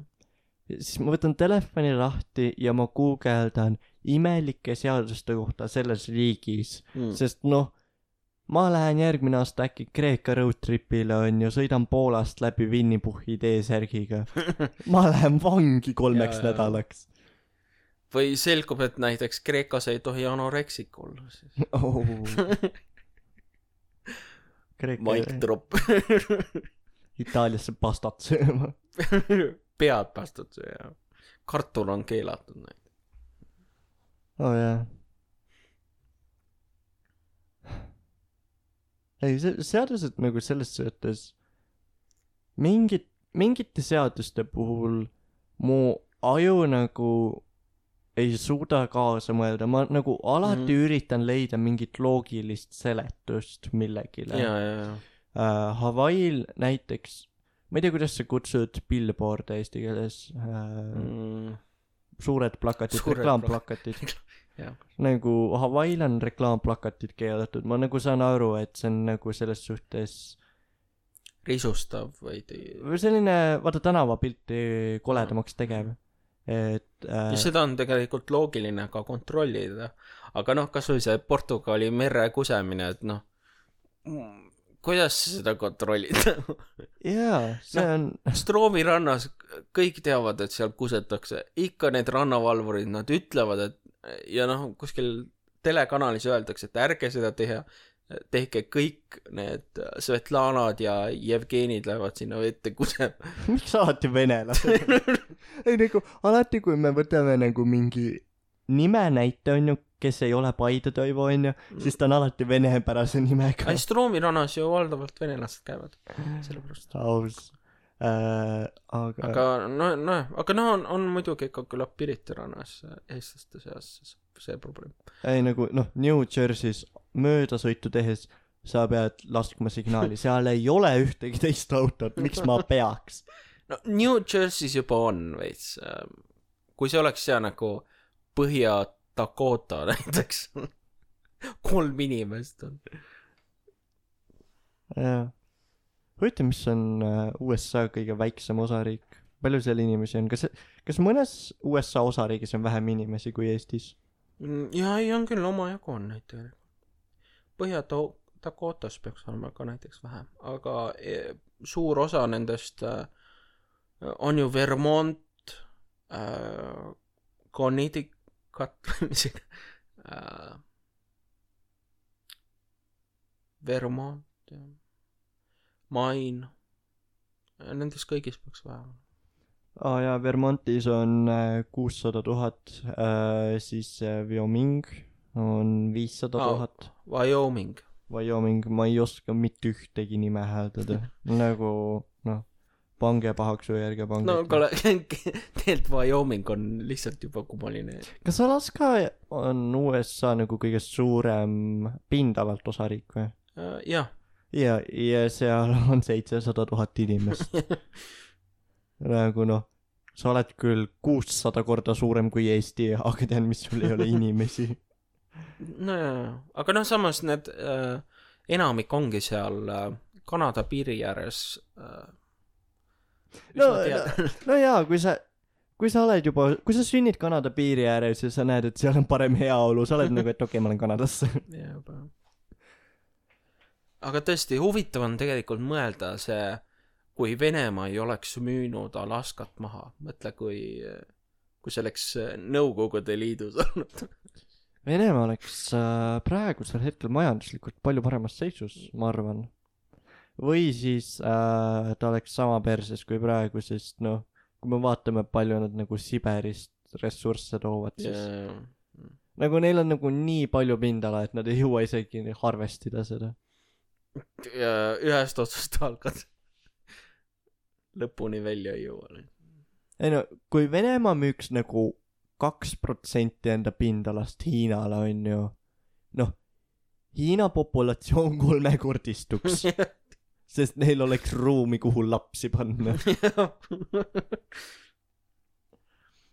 A: siis ma võtan telefoni lahti ja ma guugeldan imelike seaduste kohta selles riigis, mm. sest noh, ma lähen järgmine aasta äkki Kreeka roadtripile, on ju, sõidan Poolast läbi Winnipuhi T-särgiga. Ma lähen vangi kolmeks ja, nädalaks.
B: Või selgub, et näiteks Kreekas ei tohi anoreksik olla.
A: Oh.
B: Mike drop.
A: Itaaliasse pastat sööma.
B: Pead pastat sööma. Kartul on keelatud näid.
A: Oh jah. ei, see seadused nagu selles suhtes mingit, mingite seaduste puhul mu aju nagu ei suuda kaasa mõelda, ma nagu alati mm. üritan leida mingit loogilist seletust millegile.
B: ja, ja, ja.
A: Uh, Hawaii'l näiteks, ma ei tea, kuidas sa kutsud billboard'e eesti keeles, uh, mm. suured plakatid, reklaamplakatid. nagu Hawaii'l on reklaamplakatid keelatud, ma nagu saan aru, et see on nagu selles suhtes
B: risustav või
A: või selline, vaata, tänavapilti koledamaks tegev. Et äh...
B: ja seda on tegelikult loogiline ka kontrollida, aga noh, kas või see Portugali mere kusemine, et noh, kuidas seda kontrollida?
A: jaa, see
B: no,
A: on
B: Stroomi rannas kõik teavad, et seal kusetakse, ikka need rannavalvurid, nad ütlevad, et ja noh, kuskil telekanalis öeldakse, et ärge seda teha, tehke kõik need Svetlanad ja Jevgenid lähevad sinna vette kusema.
A: Miks alati venelased? ei nagu, alati kui me võtame nagu mingi nime näite, on ju, kes ei ole Paide Toivo, on ju, siis ta on alati venepärase nimega.
B: Ai, Stroomi rannas ju valdavalt venelased käivad, sellepärast.
A: Aus. Äh, aga
B: aga no, no, aga no on, on muidugi ikka küllap Pirita rannas eestlaste seas see probleem.
A: ei nagu, noh, New Jersey's möödasõitu tehes sa pead laskma signaali, seal ei ole ühtegi teist autot, miks ma peaks?
B: no New Jersey's juba on veits, kui see oleks seal nagu Põhja-Dakota näiteks kolm inimest on.
A: jah, huvitav, mis on U S A kõige väiksem osariik, palju seal inimesi on, kas, kas mõnes U S A osariigis on vähem inimesi kui Eestis?
B: ja ei, on küll, omajagu on neid tegelikult. Põhja-Dakotas peaks olema ka näiteks vähem, aga e, suur osa nendest äh, on ju Vermont, äh, Connecticut, äh, Vermont, Maine, nendest kõigis peaks vähem.
A: aa oh, jaa, Vermontis on kuussada tuhat, siis Wyoming on viissada tuhat.
B: Wyoming.
A: Wyoming, ma ei oska mitte ühtegi nime hääldada. nagu, noh, pange pahaks või ärge pange.
B: no kuule, tegelikult Wyoming on lihtsalt juba kummaline.
A: Kas Alaska on U S A nagu kõige suurem pindalalt osariik või?
B: Uh, jah.
A: ja, ja seal on seitsesada tuhat inimest. nagu noh, sa oled küll kuussada korda suurem kui Eesti, aga tean, mis sul ei ole inimesi.
B: no jaa, aga noh, samas need äh, enamik ongi seal äh, Kanada piiri ääres äh,
A: no, no, no jaa, kui sa kui sa oled juba, kui sa sünnid Kanada piiri ääres ja sa näed, et seal on parem heaolu, sa oled nagu, et okei okay,, ma olen Kanadasse.
B: jaa, juba. Aga tõesti, huvitav on tegelikult mõelda see, kui Venemaa ei oleks müünud Alaskat maha. Mõtle, kui, kui see oleks Nõukogude Liidus olnud.
A: Venemaa oleks äh, praegusel hetkel majanduslikult palju paremas seisus, ma arvan. Või siis äh, ta oleks sama perses kui praegu, sest noh, kui me vaatame, palju nad nagu Siberist ressursse toovad, siis yeah. nagu neil on nagu nii palju pindala, et nad ei jõua isegi harvestida seda.
B: Ja ühest otsast algad. Lõpuni välja ei jõua.
A: ei no, kui Venemaa müüks nagu kaks protsenti enda pindalast Hiinale, on ju, noh, Hiina populatsioon kolmekordistuks, sest neil oleks ruumi, kuhu lapsi panna.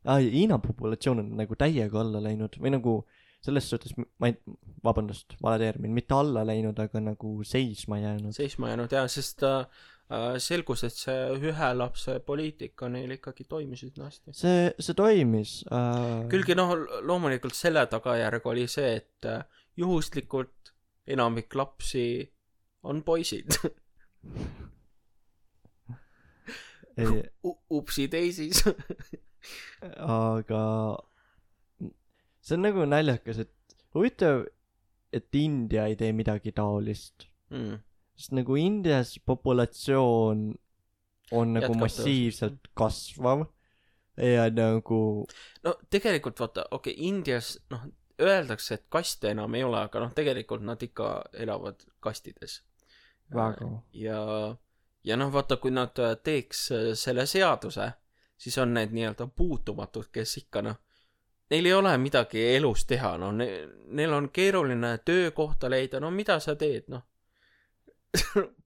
A: Ai, Hiina populatsioon on nagu täiega alla läinud, või nagu selles suhtes, ma ei, vabandust, vale termin, mitte alla läinud, aga nagu seisma jäänud.
B: Seisma jäänud, jah, sest äh, selgus, et see ühe lapse poliitika neil ikkagi toimisid hästi.
A: See, see toimis. Äh...
B: Külgi noh, loomulikult selle tagajärg oli see, et äh, juhuslikult enamik lapsi on poisid.
A: ei...
B: Upsi teisis.
A: aga see on nagu naljakas, et huvitav, et India ei tee midagi taolist. Mm. Sest nagu Indias populatsioon on nagu Jätkab massiivselt tõus. Kasvav ja nagu
B: no tegelikult vaata, okei okay,, Indias noh, öeldakse, et kaste enam ei ole, aga noh, tegelikult nad ikka elavad kastides.
A: väga.
B: ja ja noh, vaata, kui nad teeks selle seaduse, siis on need nii-öelda puutumatud, kes ikka noh, neil ei ole midagi elus teha, no ne, neil on keeruline töökohta leida, no mida sa teed, noh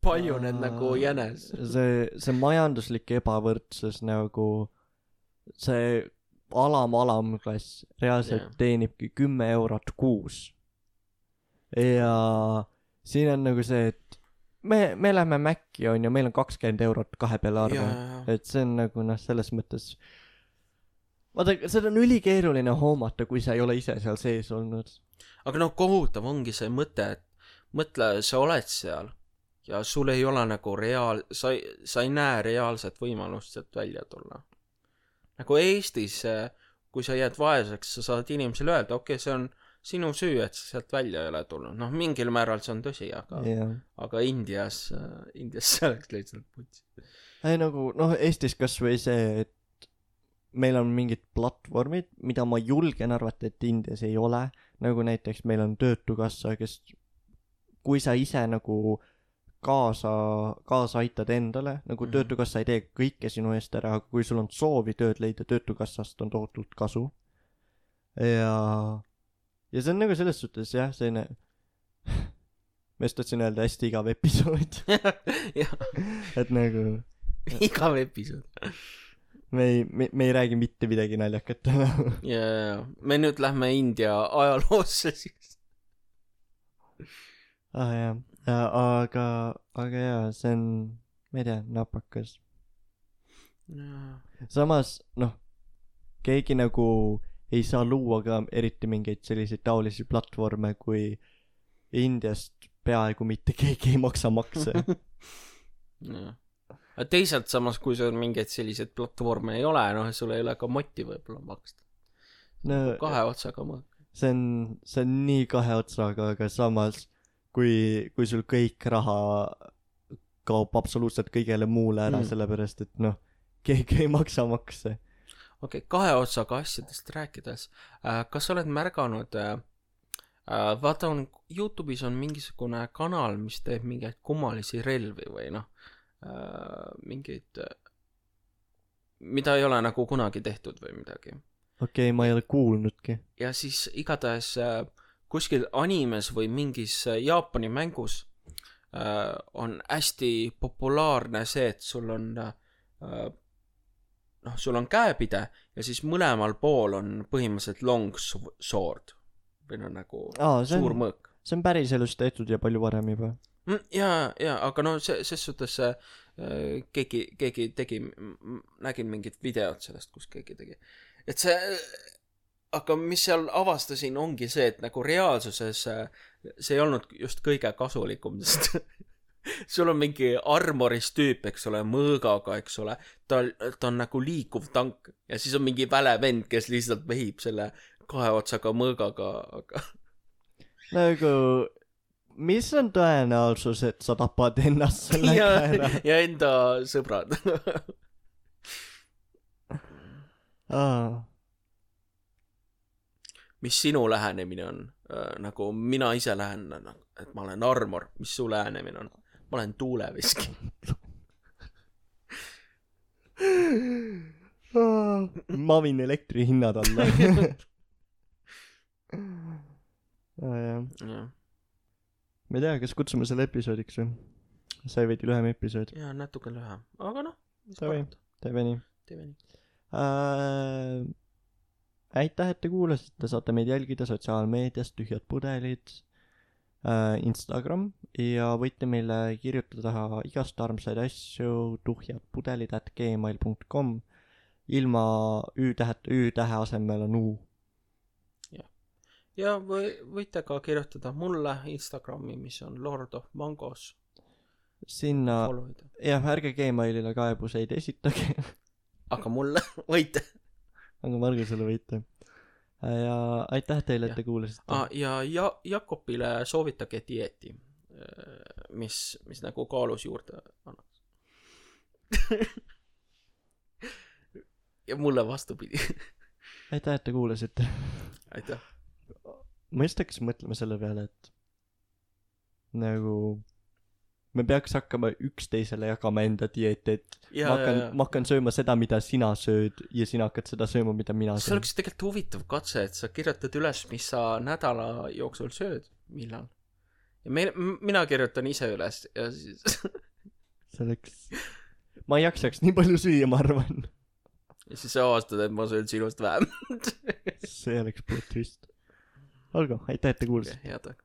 B: palju need nagu jänes.
A: see, see majanduslik ebavõrdsus nagu, see alam alamklass reaalselt yeah. teenibki kümme eurot kuus. Ja siin on nagu see, et me, me lähme Maci on ja meil on kakskümmend eurot kahe peale arve yeah.. et see on nagu noh, selles mõttes vaata, seda on ülikeeruline hoomata, kui sa ei ole ise seal sees olnud.
B: Aga noh, kohutav ongi see mõte, et mõtle, sa oled seal ja sul ei ole nagu reaal, sa ei, sa ei näe reaalset võimalust sealt välja tulla. Nagu Eestis, kui sa jääd vaeseks, sa saad inimesele öelda, okei okay,, see on sinu süü, et sa sealt välja ei ole tulnud. Noh, mingil määral see on tõsi, aga,
A: yeah.
B: aga Indias, Indias see oleks lihtsalt putsi.
A: Ei nagu, noh, Eestis kas või see, et meil on mingid platvormid, mida ma julgen arvata, et Indias ei ole. Nagu näiteks meil on Töötukassa, kes, kui sa ise nagu kaasa, kaasa aitad endale, nagu mm-hmm. Töötukassa ei tee kõike sinu eest ära, aga kui sul on soovi tööd leida, Töötukassast on tohutult kasu. Ja, ja see on nagu selles suhtes, jah, selline, ma just tahtsin öelda hästi igav episood. et nagu
B: igav episood.
A: me ei, me, me ei räägi mitte midagi naljakat.
B: ja, ja, me nüüd lähme India ajaloosse siis.
A: ah jah. Ja, aga, aga jaa, see on, ma ei tea, napakas.
B: Ja.
A: Samas, noh, keegi nagu ei saa luua ka eriti mingeid selliseid taolisi platvorme, kui Indiast peaaegu mitte keegi ei maksa makse.
B: Ja. Teisalt samas, kui sul mingeid selliseid platvorme ei ole, noh, sul ei ole ka moti võib-olla maksta. No, kahe otsaga mõõk.
A: See on, see on nii kahe otsaga, aga samas kui, kui sul kõik raha kaob absoluutselt kõigele muule ära mm. sellepärast, et noh, keegi ei maksa makse.
B: Okei, okay, kahe otsaga asjadest rääkides, äh, kas oled märganud, äh, vaata on, YouTube'is on mingisugune kanal, mis teeb mingeid kummalisi relvi või noh, äh, mingeid, mida ei ole nagu kunagi tehtud või midagi.
A: Okei okay,, ma ei ole kuulnudki.
B: Ja siis igatahes äh, kuskil animes või mingis Jaapani mängus äh, on hästi populaarne see, et sul on äh, noh, sul on käepide ja siis mõlemal pool on põhimõtteliselt long sword või no nagu Aa, suur on, mõõk.
A: See on päris elus tehtud ja palju varem juba.
B: Mm, ja, ja, aga no see, ses suhtes äh, keegi, keegi tegi, nägin mingit videot sellest, kus keegi tegi. Et see aga mis seal avastasin ongi see, et nagu reaalsuses see ei olnud just kõige kasulikum, sest sul on mingi armoris tüüp, eks ole, mõõgaga, eks ole, ta, ta on nagu liikuv tank ja siis on mingi väle vend, kes lihtsalt vehib selle kahe otsaga mõõgaga, aga
A: nagu, mis on tõenäosus, et sa tapad ennast selle
B: ja,
A: käera?
B: Ja enda sõbrad.
A: Aa
B: mis sinu lähenemine on äh, nagu mina ise lähen, et ma olen armor, mis su lähenemine on? Ma olen tuuleviski.
A: ma viin elektri hinnad alla. ah, jah. Ja. ma ei tea, kas kutsume selle episoodiks või? sai veidi lühem episood.
B: jaa, natuke lühem, aga noh,
A: teeme nii.
B: teeme nii.
A: Uh, aitäh, et te kuulasite, saate meid jälgida sotsiaalmeedias Tühjad pudelid, uh, Instagram ja võite meile kirjutada igast armsaid asju tuhjadpudelid at gmail dot com ilma ü-tähet, ü-tähe asemel on u.
B: Ja, ja või, võite ka kirjutada mulle Instagrami, mis on Lord of Mangos.
A: Sinna, jah, ärge Gmailile kaebuseid esitage.
B: aga mulle võite.
A: aga Margusele võite. Ja aitäh teile, et te kuulasite.
B: Ah, ja, ja Jakobile soovitage dieeti, mis, mis nagu kaalus juurde annaks. ja mulle vastupidi.
A: aitäh, et te kuulasite.
B: aitäh.
A: ma just hakkasin mõtlema selle peale, et nagu me peaks hakkama üksteisele jagama enda dieeti, et
B: ja,
A: ma hakkan,
B: ja, ja.
A: ma hakkan sööma seda, mida sina sööd ja sina hakkad seda sööma, mida mina
B: see
A: söön.
B: oleks tegelikult huvitav katse, et sa kirjutad üles, mis sa nädala jooksul sööd, millal. Ja me, mina kirjutan ise üles ja siis
A: see oleks, ma ei jaksaks nii palju süüa, ma arvan.
B: ja siis sa avastad, et ma söön sinust vähem.
A: see oleks plot twist. olgu, aitäh, et te kuulsite.
B: Okay, head.